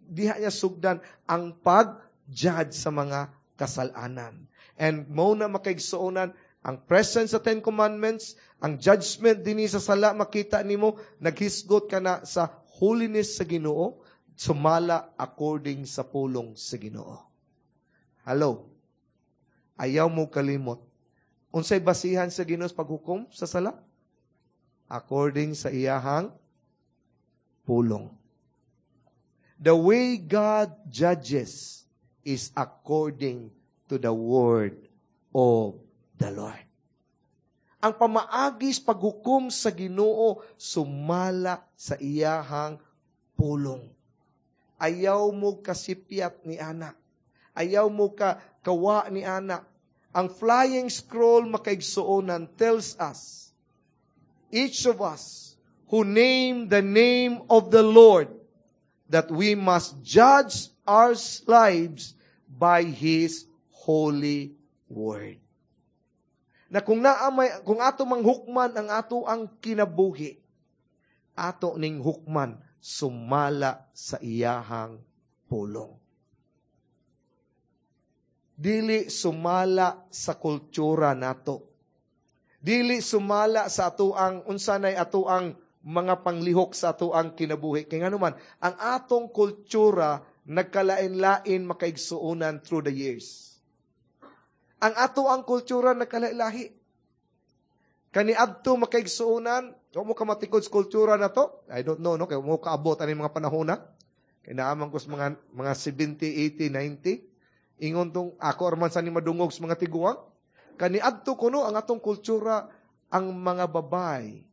diha niya sugdan ang pag-judge sa mga kasalanan. And mo na makaigsuonan, ang presence sa Ten Commandments, ang judgment dinhi sa sala, makita nimo, naghisgot ka na sa holiness sa Ginoo, sumala according sa pulong sa Ginoo. Hello? Ayaw mo kalimot. Unsay basihan sa Ginoo sa paghukom sa sala? According sa iyahang pulong. The way God judges is according to the word of the Lord. Ang pamaagis paghukom sa Ginoo sumala sa iyahang pulong. Ayaw mo kasipyat ni ana. Ayaw mo ka kawa ni ana. Ang flying scroll makaigsuonan tells us Each of us who name the name of the Lord, that we must judge our lives by His holy word. Na kung naamay, kung ato mang hukman ang ato ang kinabuhi, ato ning hukman sumala sa iyahang pulong. Dili sumala sa kultura nato. Dili sumala sa ato ang unsanay ato ang mga panglihok sa ato ang kinabuhi. Kay ngano man, ang atong kultura nagkalain-lain, makaigsuonan, through the years. Ang ato ang kultura nagkalain-lahi. Kaniadto, makaigsuonan, wa mo kamatikod sa kultura na to. I don't know, no? Kay mo kaabot ani mga panahon na. Kay naaman ko sa mga 70, 80, 90. Ingon tong ako arman sa ni madungog sa mga tiguang. Kaniadto kuno ang atong kultura, ang mga babay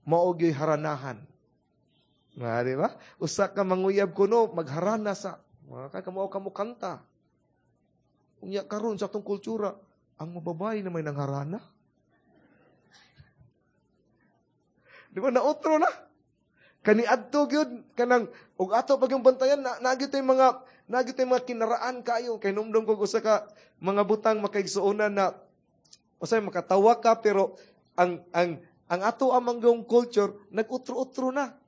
mao gyud haranahan. Nga, di ba? Usa ka manguyab kuno magharana sa mga kamo kamo kanta. Unya karon sa atong kultura, ang mababay na may nangharana. Di ba nautro na? Kaniadto gyud kanang ug ato pag yung bantayan na mga kinaraan kayo kay numdum kog usa ka mga butang, makaigsuonan, na usay makatawa ka, pero ang ato amang culture nag-utro-utro na.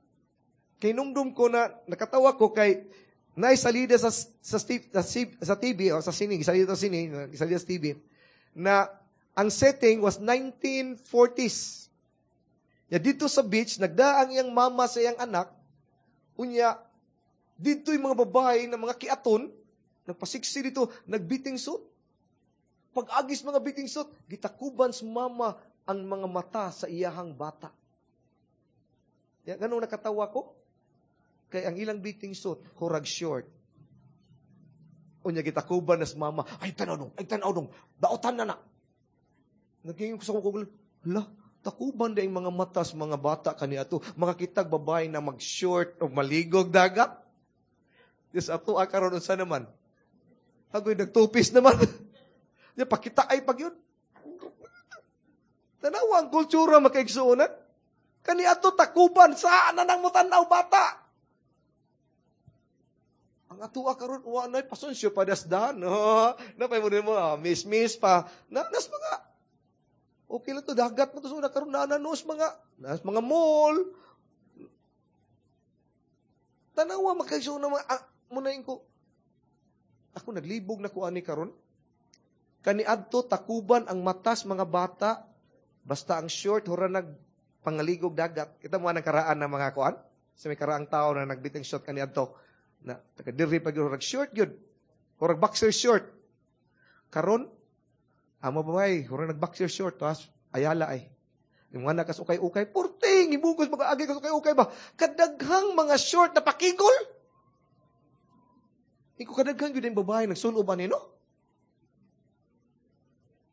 Kay numdum ko na nakatawa ko kay naisalida sa TV o sa sine, salida sa sine, salida sa TV na ang setting was 1940s. Ya dito sa beach, nagdaang iyang mama sa iyang anak, unya, dito yung mga babae na mga kiaton, nagpasiksi dito, nagbiting suit. Pag-agis mga biting suit, gitakuban sa mama ang mga mata sa iyahang bata. Ya, ganun nakatawa ko? Kay ang ilang biting suit, hurag short. Unya gitakuban na sa mama, ay tanaw dong, daotan na na. Naging ko sa kong, hala, takuban na yung mga mata sa mga bata kaniadto. Makakitag babae na mag-short o maligog dagat. Diyos, ato akaron unsa naman. Agoy, nagtupis naman. Di, pakita ay pag yun. Tanawa ang kultura, makaigsuonan. Kaniadto takuban, saan na nang mutanaw bata? Ang ato karon wa nay pasensyo padasdan. No, napay mo mo, miss miss pa. Na, nas mga okay lang to, dagat mo to sa una karon na nos mga mall. Tanawa makaigsuonan mga munayin ko. Ako naglibog na ko ani karon. Kaniadto takuban ang matas mga bata basta ang short hura nag pangaligog dagat. Kita mo ang karaan ng mga kuan sa may karaang tao na nagbiting short kaniadto na taga diri pag hurag short gyud. Hurag boxer short. Karon ang mababae, hurag nag boxer short tas ayala ay. Yung mga nakas ukay-ukay, purting ibugos mag-aagi kas ukay-ukay ba. Kadaghang mga short na pakigol. Iko kadaghan gyud ang babae nagsulob ani, no?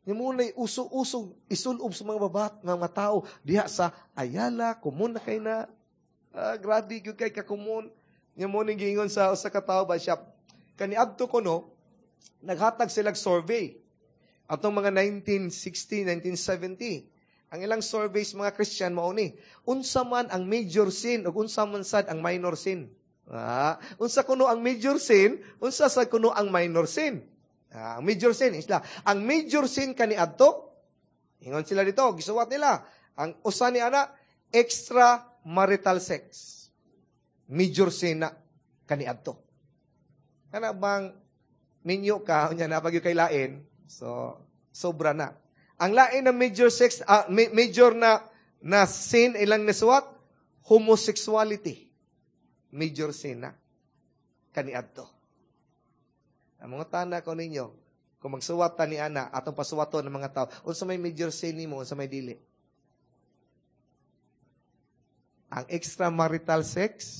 Yung muna'y uso-uso isulob sa mga babat nga mga tao diha sa Ayala, kumun na kay na. Grabe gyud kay kakumun. Yung muna'y giingon sa usa ka tawo ba siya. Kaniadto ko no, naghatag silag survey. Atong mga 1960, 1970. Ang ilang surveys mga Christian mao ni, unsa man ang major sin ug unsa man sad ang minor sin. Unsa kuno ang major sin, unsa sad kuno ang minor sin. Ang major sin isla. Ang major sin kaniadto, ingon sila dito, gisuwat nila. Ang usa ni ana, extra marital sex. Major sin na kaniadto. Kana bang minyo ka unya na pag kay lain, so sobra na. Ang lain na major sex, major na sin ilang nisuwat, homosexuality. Major sin na kaniadto. Ang mga tana ko ninyo, kung magsuwat ta ni ana, atong pasuwaton ng mga tao, unsa may major sin nimo, unsa may dili. Ang extramarital sex,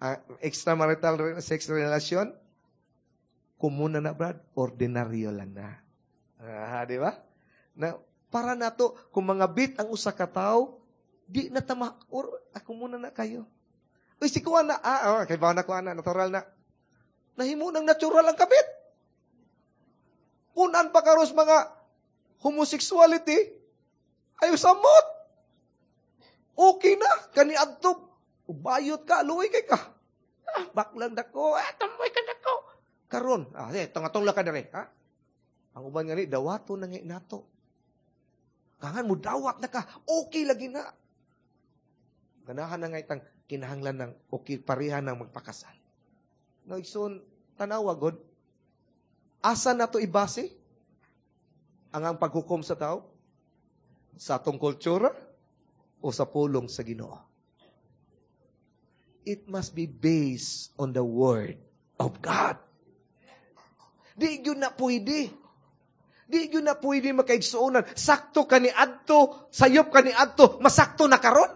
ang extramarital sex relasyon, kumuna na, Brad, ordinaryo lang na. Di ba? Na, para nato, kung mga bit ang usa ka tawo, di na tama, or ako muna na kayo. Uy, si kuha na, kay ba na kuha na, natural na. Nahimo ng natural ang kabit. Punan pa karos mga homosexuality, ayo samot. Okay na, kani adto, bayot ka, luoy kay ka. Ah, baklang dako, ah, tamboy ka dako. Karon, ah, eh, tunga-tungla ka dere, ha? Ang uban nga ni, dawato na nga nato. Kangan mo dawat na ka, okay lagi na. Ganahan na nga itang kinahanglan ng okay pareha ng magpakasal. No, igsoon, tanawa god. Asa na to ibase? Ang paghukom sa tao? Sa atong kultura? O sa pulong sa Ginoo? It must be based on the Word of God. Di yun na pwede. Di yun na pwede makaigsuonan. Sakto ka ni adto, sayop ka ni adto, masakto na karon.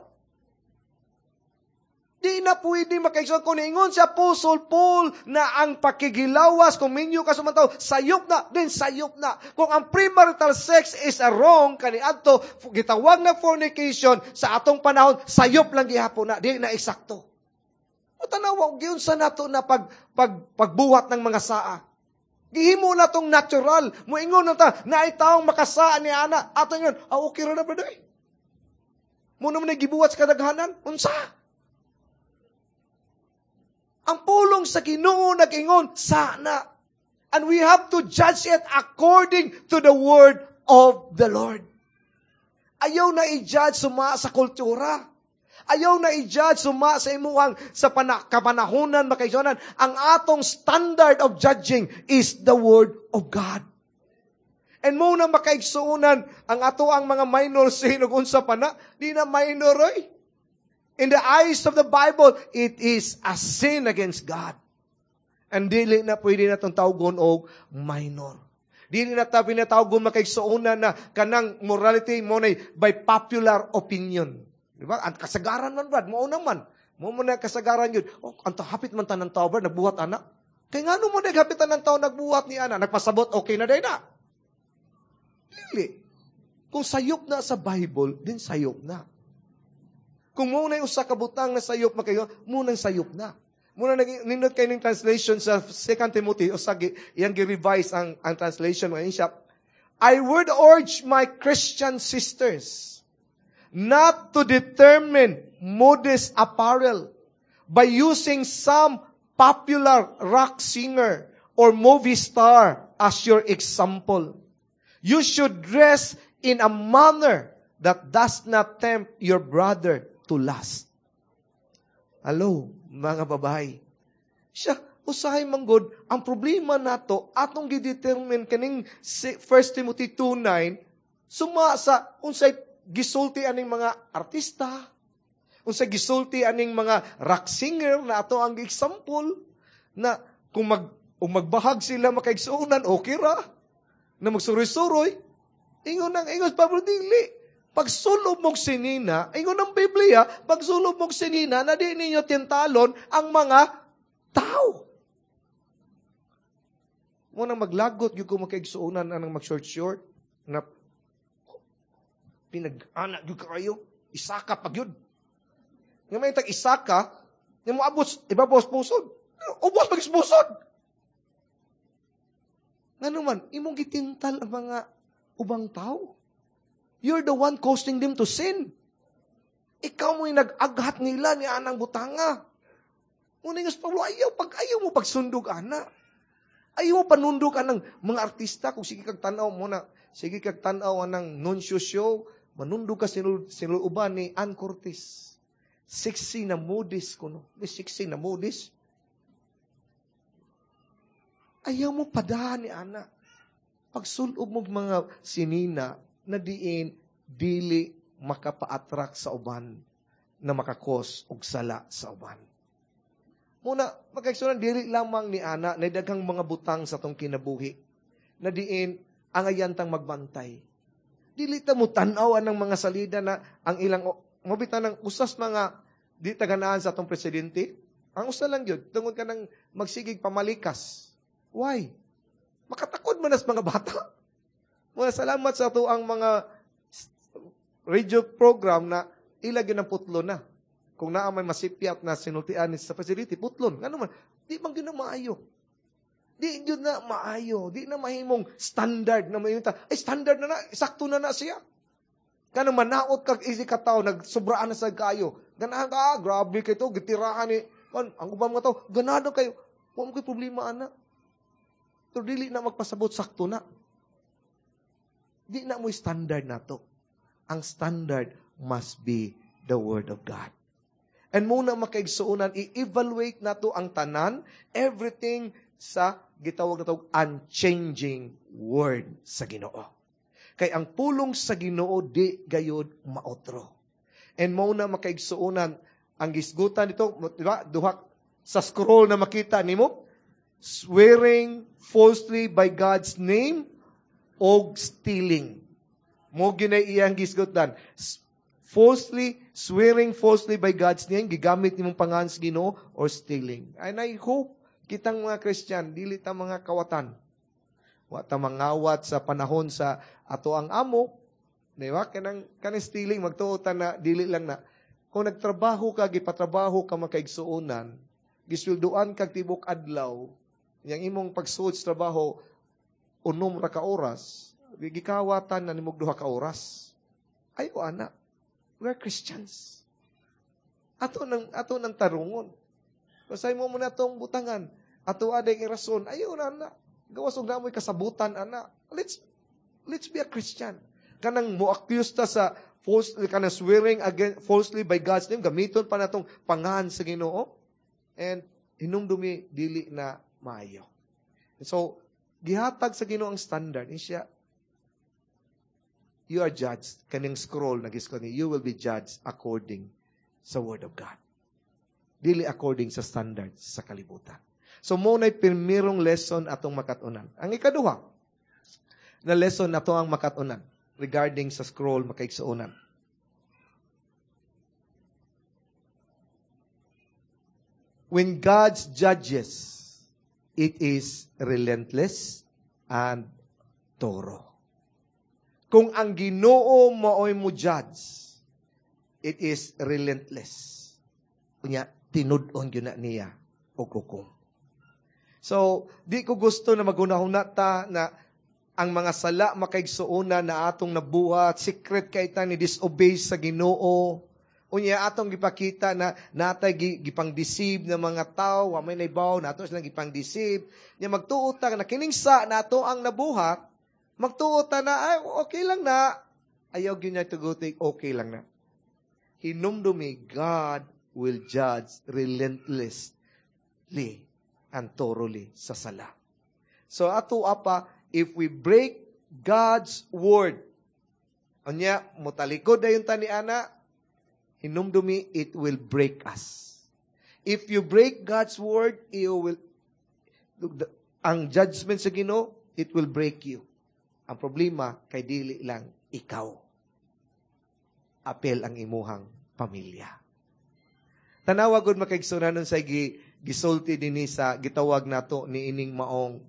Di na pwede makaigsuonan. Kung niingon si Apostle Paul na ang pakigilawas, kung minyo ka sumataw, sayop na, then sayop na. Kung ang premarital sex is a wrong kani adto, gitawag na fornication sa atong panahon, sayop lang gihapon na, di na eksakto. O tanawa, giyon sa nato na pagbuhat ng mga saa. Gihimo na tong natural. Muingon na ta, naay taong makasaa ni ana. Ato ingon, ah, okay ra na, brother. Muna mo na gibuhat sa kadaghanan. Unsa? Ang pulong sa Ginoo nag-ingon, sana. And we have to judge it according to the word of the Lord. Ayaw na i-judge suma sa kultura. Ayaw na i-judge suma sa imuhang sa kapanahonan, makaigsuonan. Ang atong standard of judging is the word of God. And mo na makaigsuonan ang ato ang mga minor sin ug unsa pa na, di na minor oy. In the eyes of the Bible, it is a sin against God. And dili na pwede na itong tawgon og minor. Dili na ta pinatawgon makaigsuonan na kanang morality mo na by popular opinion. Di ba? Ang kasagaran man, Brad, mao naman. Mao mo na kasagaran yun. Oh, ang hapit man tanang tao, Brad, nagbuhat, ana. Kaya nga mo na hapit tanang tao, nagbuhat ni ana. Nagpasabot, okay na din na. Dili. Kung sayop na sa Bible, din sayop na. Kung muna yung usa ka butang na sayop makayo, munang sayop na. Muna nindot kayo ng translation sa 2 Timothy, o sa iyang gi-revise ang translation ngayon siya. I would urge my Christian sisters not to determine modest apparel by using some popular rock singer or movie star as your example. You should dress in a manner that does not tempt your brother to lust. Hello, mga babae. Siya, usahay manggod, ang problema nato, atong gidetermine kaning 1 Timothy 2:9, suma sa unsay gisulti aning mga artista, unsay gisulti aning mga rock singer na ato ang example na kung magbahag sila makaigsuonan, okay ra. Na magsuroy-suroy, ingon ang ingon Pablo, dili. Pagsulob mong sinina, ingon ng Biblia, pagsulob mong sinina, na di ninyo tintalon ang mga tao. Munang maglagot, yung kung makaigsuonan anang mag-short-short, na pinag-anak yung kayo, isaka pag yun. Nga may tag isaka, nga mo abot, ibabos pusod. Ubos pag pusod. Nga naman, imong gitintal ang mga ubang tao. You're the one causing them to sin. Ikaw mo'y nag-aghat nila ni anang butanga. Ngunit nga Pablo, ayaw, pag ayaw mo pagsundog, ana. Ayaw mo panundog anang mga artista. Kung sige kag tanaw mo na, sige kag tanaw anang nuncio show, manundog ka sinuuban ni Ann Cortez. Sexy na modis kuno. May sexy na modis. Ayaw mo padahan ni ana. Pagsulob mo mga sinina, na diin dili makapa-attract sa uban na makakos og sala sa uban. Muna, magkaigsuonan, dili lamang ni ana na daghang mga butang sa tong kinabuhi na diin ang ayantang magbantay. Dili ta mo tan-aw anang mga salida na ang ilang mabita ng usas mga di taganaan sa atong presidente. Ang usa lang yun, tungod ka ng magsigig pamalikas. Why? Makatakod man as mga bata. Mga salamat sa ato ang mga radio program na ilag yun ang putlo na. Kung naa may masipyat na sinultian sa facility, putlon. Ano man, di man yun na maayo. Di yun na maayo. Di na mahimong standard na may ay standard na na, sakto na na siya. Kanang manaot kag easy ka tao, nagsobraan na sa kaayo. Ganahan ka, grabe kay to, gitirahan ni, kan, ang ubang mga tao, ganado kayo. Wa mo kay problema, ana. Pero dili na magpasabot, sakto na. Di na mo standard na to. Ang standard must be the Word of God. And muna makaigsuonan, i-evaluate na to ang tanan, everything sa gitawag na to, unchanging Word sa Ginoo. Kay ang pulong sa Ginoo di gayod maotro. And muna makaigsuonan, ang gisgutan nito, di ba? Duha sa scroll na makita nimo, swearing falsely by God's name og stealing. Mo ginay iyang gisgutan. Falsely, swearing falsely by God's name, gigamit nimong pangalan sa Ginoo, or stealing. And I hope kitang mga Christian, dili ta mga kawatan. Wa ta mangawat sa panahon sa ato ang amo, di ba? Kanang stealing, magtuo ta na, dili lang na. Kung nagtrabaho ka, gipatrabaho ka makaigsuonan, gisweldoan kag tibok adlaw, yang imong pagsuod sa trabaho, 6 ra ka oras, gikawatan na nimog 2 ka oras. Ayo, ana. We are Christians. Ato nang tarungon. Basay mo muna itong butangan. Ato aday ang rason. Ayo na, ana. Gawas og namoy kasabutan, ana. Let's be a Christian. Kanang mo-accuse ta sa false, kanang swearing again, falsely by God's name, gamiton pa natong pangahan sa Ginoo. And hinumdumi, dili na maayo. So, gihatag sa Ginoo ang standard. Ni siya, you are judged. Kaning scroll na gisko ni, you will be judged according sa Word of God. Dili according sa standards sa kalibutan. So, mo na'y primerong lesson atong makatunan. Ang ikaduha na lesson ato ang makatunan regarding sa scroll makaigsuonan. When God judges, it is relentless and thorough. Kung ang Ginoo maoy mo judge, it is relentless. Unya, tinud-on gyud na niya og hukom. So, di ko gusto na maghunahuna ta na ang mga sala makaigsuonan na atong nabuhat, secret kay ta ni disobey sa Ginoo. Unya atong gipakita na natay gipang-deceive ng mga tao, wa may naibaw nato silang gipang-deceive. Nya magtuo ta na kining sa nato ang nabuhat, magtuo ta na ay okay lang na. Ayaw gyud niya tuguti, okay lang na. Hinumdumi, God will judge relentlessly and thoroughly sa sala. So ato apa, if we break God's word, unya motalikod dayon ta ni ana, hinumdumi, it will break us. If you break God's word, ang judgment sa Ginoo, it will break you. Ang problema, kay dili lang ikaw. Apel ang imuhang pamilya. Tanawa gud makaigsuonan nun sa gisulti dinhi sa gitawag nato ni ining maong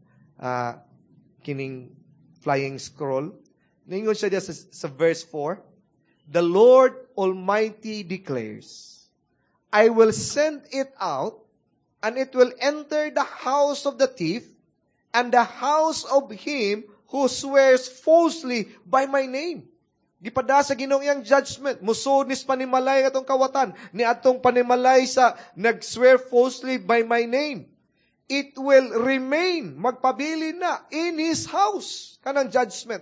kining flying scroll. Ningon siya diya sa verse 4, The Lord Almighty declares, I will send it out, and it will enter the house of the thief, and the house of him who swears falsely by my name. Gipada sa Ginoo iyang judgment. Musod nis panimalay atong kawatan, ni atong panimalay sa nag-swear falsely by my name. It will remain, magpabili na, in his house, kanang judgment,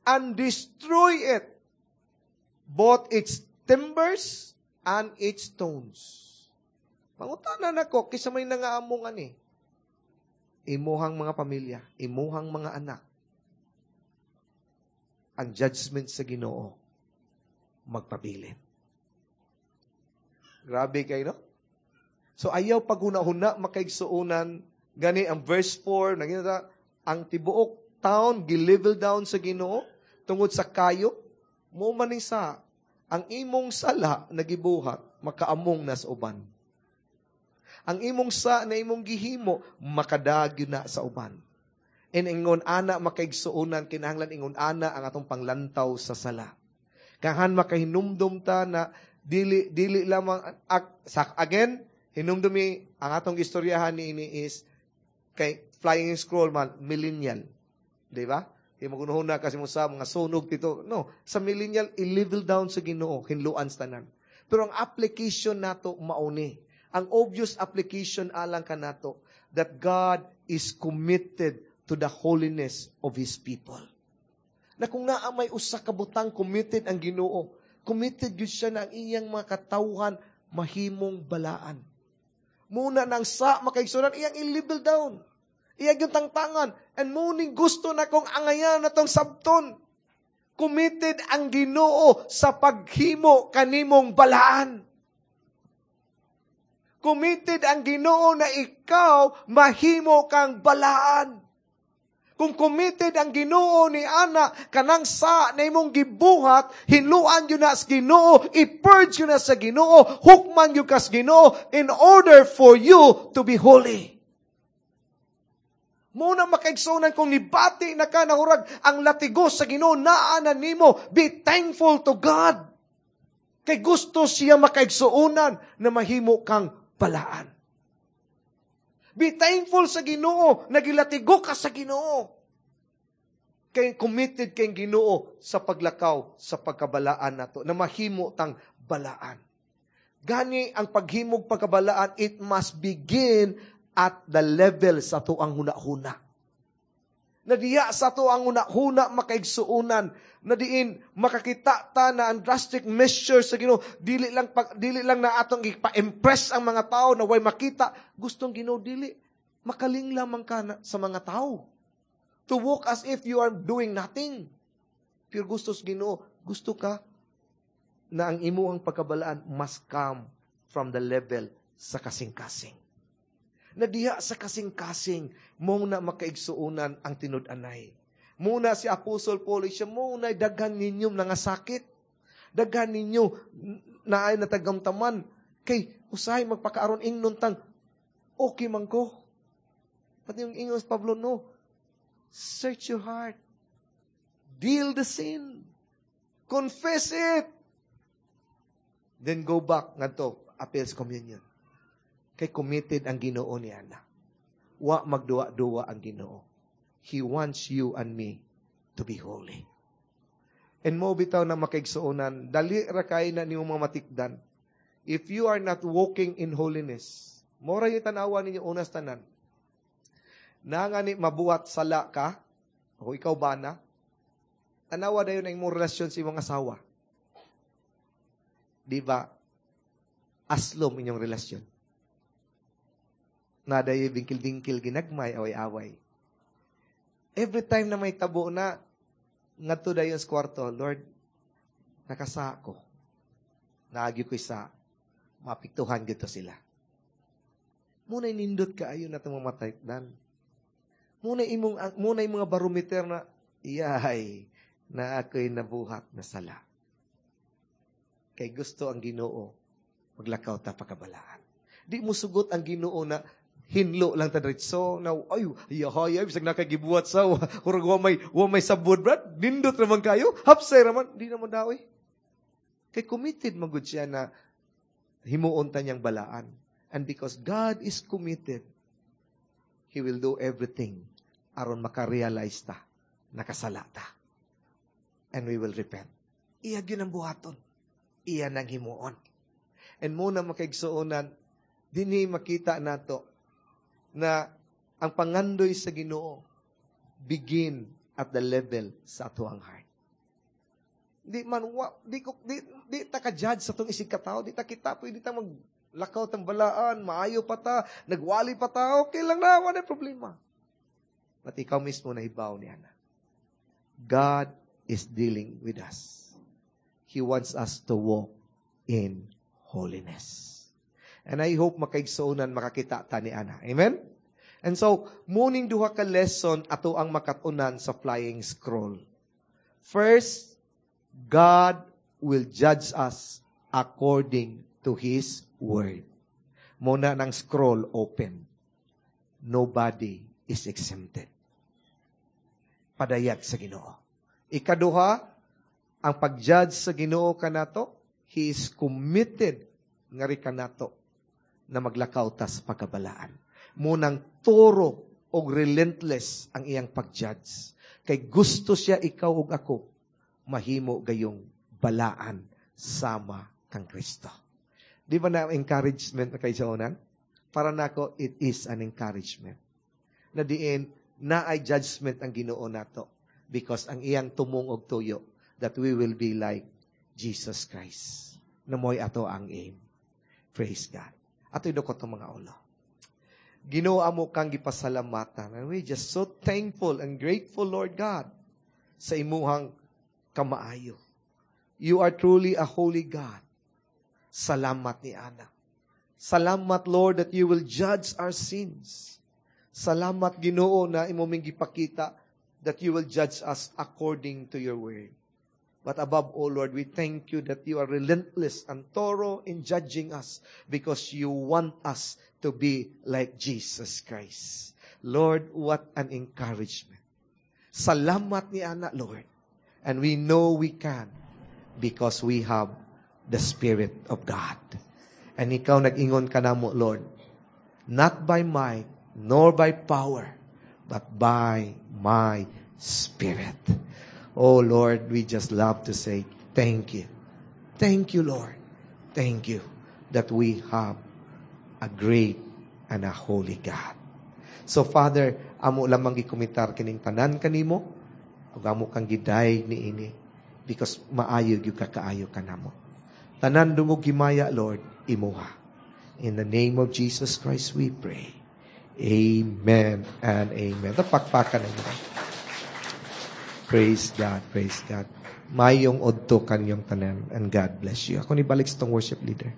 and destroy it, both its timbers and its stones. Mangutana nako, kisa may nangaamong ani, imuhang mga pamilya, imuhang mga anak, ang judgment sa Ginoo magpabilin. Grabe kayo, no? So ayaw paghuna-huna makaigsuonan gani ang verse 4 nagina ang tibuok town gi-level down sa Ginoo tungod sa kayo mo maning sa ang imong sala nagibuhat makaamong na sa uban. Ang imong sa na imong gihimo makadagyo na sa uban. And ingon ana makaigsuonan kinahanglan ingon ana ang atong panglantaw sa sala. Kahan makahinumdum ta na dili lamang sa again hinumdumi ang atong istoryahan ni ini is kay flying scroll man millennial, di ba? Kay magunahuna kasi mo sa mga sunog dito. No, sa millennial, i-level down sa Ginoo, hinluan sa tanan. Pero ang application nato mauni. Ang obvious application alang kanato that God is committed to the holiness of His people. Na kung naa may usa ka butang committed ang Ginoo, committed gyud siya na ang iyang mga katawhan mahimong balaan. Muna nang sa makaigsunan, iyang i-level down. Iyang yung tangtangan. And muning gusto na kong angayan na tong sabton. Committed ang Ginoo sa paghimo kanimong balaan. Committed ang Ginoo na ikaw mahimo kang balaan. Kung committed ang Ginoo ni ana kanang sa na imong gibuhat, hinluan yun na sa Ginoo, i-purge yun na sa Ginoo, hukman yun ka sa Ginoo in order for you to be holy. Muna makaigsunan kung nibati na ka nahurag ang latigo sa Ginoo naa na nimo, be thankful to God. Kay gusto siya makaigsuonan na mahimo kang balaan. Be thankful sa Ginoo, nagilatigo ka sa Ginoo. Kay committed kay Ginoo sa paglakaw sa pagkabalaan nato, na mahimo tang balaan. Gani ang paghimog pagkabalaan, it must begin at the level sa tuang huna-huna. Nadiya sa tuang huna-huna makaigsuonan, na diin makakita ta na ang drastic measures sa Ginoo, dili lang na atong ipa-impress ang mga tao na way makita, gustong Ginoo dili makaling lamang ka na sa mga tao. To walk as if you are doing nothing. Pero gusto sa Ginoo, gusto ka na ang imuhang pagkabalaan must come from the level sa kasing-kasing. Na diha sa kasing-kasing, mo na makaigsuonan ang tinud-anay. Muna si Apostol Paul, siya muna daghan ninyo nga sakit. Daghan ninyo na ay natagamtaman. Kay usahay magpakaaron ingnon tang, okay man ko. Pati yung ingon sa Pablo, no. Search your heart. Deal the sin. Confess it. Then go back ngadto appeals communion. Kay committed ang Ginoo ni ana. Wa magduwa-duwa ang Ginoo. He wants you and me to be holy. And mo bitaw na makaigsuonan, dali ra kay na nimo mga matikdan. If you are not walking in holiness, mora yung tanawa ninyo unas tanan. Na nga ni mabuhat sala ka, o ikaw ba na? Tanawa dayon ang imong relasyon sa imong asawa. Di ba? Aslom inyong relasyon. Naday bingkil-bingkil ginagmay, away-away. Every time na may tabo na, ngadto dayon sa kwarto, Lord, nakasako. Naagyo ko isa, mapiktuhan gito sila. Muna nindot kaayo na itong mamatay dan. Muna yung mga barometer na, iyay, na ako'y nabuhat na sala. Kay gusto ang Ginoo, maglakaw ta pakabalaan. Di mo sugot ang Ginoo na hinlo lang ta diretso na ay yahay ay bisag nakagibuhat sa hurag wa may sabod, brad, nindot raman kayo, hapsay raman, di naman daw eh. Kay committed man gud siya na himuon ta niyang balaan, and because God is committed, He will do everything aron makarealize ta nakasala ta and we will repent. Iya gyud ang buhaton, iya nang himuon. And muna makaigsuonan, dinhi makita nato na ang pangandoy sa Ginoo begin at the level sa atuang heart. Di man wa, di ko di, di ta ka judge sa tong isig ka tao, di ta kita pwede ta maglakaw tang balaan, maayo pa ta, nagwali pa ta, okay lang na, wala problema. But ikaw mismo nahibaw niya na. God is dealing with us. He wants us to walk in holiness. And I hope makaigsuonan makakita ta ni ana. Amen? And so, muning duha ka lesson ato ang makatunan sa flying scroll. First, God will judge us according to His word. Muna ng scroll open. Nobody is exempted. Padayag sa Ginoo. Ikaduha, ang pag-judge sa Ginoo kanato, He is committed ngari kanato na maglakaw ta sa pagkabalaan. Munang turo og relentless ang iyang pag-judge. Kay gusto siya ikaw ug ako mahimo gayong balaan sama kang Kristo. Di ba na encouragement na kaigsuonan? Para nako, it is an encouragement. Na diin, naay judgment ang Ginoo nato because ang iyang tumong og tuyo that we will be like Jesus Christ. Na mo'y ato ang aim. Praise God. Ato'y dukot ang mga ulo. Ginoo, amo kang gipasalamatan. And we just so thankful and grateful, Lord God, sa imuhang kamaayo. You are truly a holy God. Salamat ni Ana. Salamat, Lord, that you will judge our sins. Salamat, Ginoo, na imo ming gipakita that you will judge us according to your word. But above all, Lord, we thank you that you are relentless and thorough in judging us because you want us to be like Jesus Christ. Lord, what an encouragement. Salamat ni Ana, Lord. And we know we can because we have the Spirit of God. And ikaw nag-ingon ka namo, Lord, not by might, nor by power, but by my Spirit. Oh Lord, we just love to say thank you. Thank you, Lord. Thank you that we have a great and a holy God. So Father, amo lamang gikomitar kining tanan kanimo, ug amo kang gidayeg niini because maayo gyud ka kaayo kanamo. Tanan dungog himaya, Lord, imuha. In the name of Jesus Christ we pray. Amen and amen. Tapakpakan na. Praise God, praise God. Mayong udto kanyong tanan and God bless you. Ako ni balik sa tong worship leader.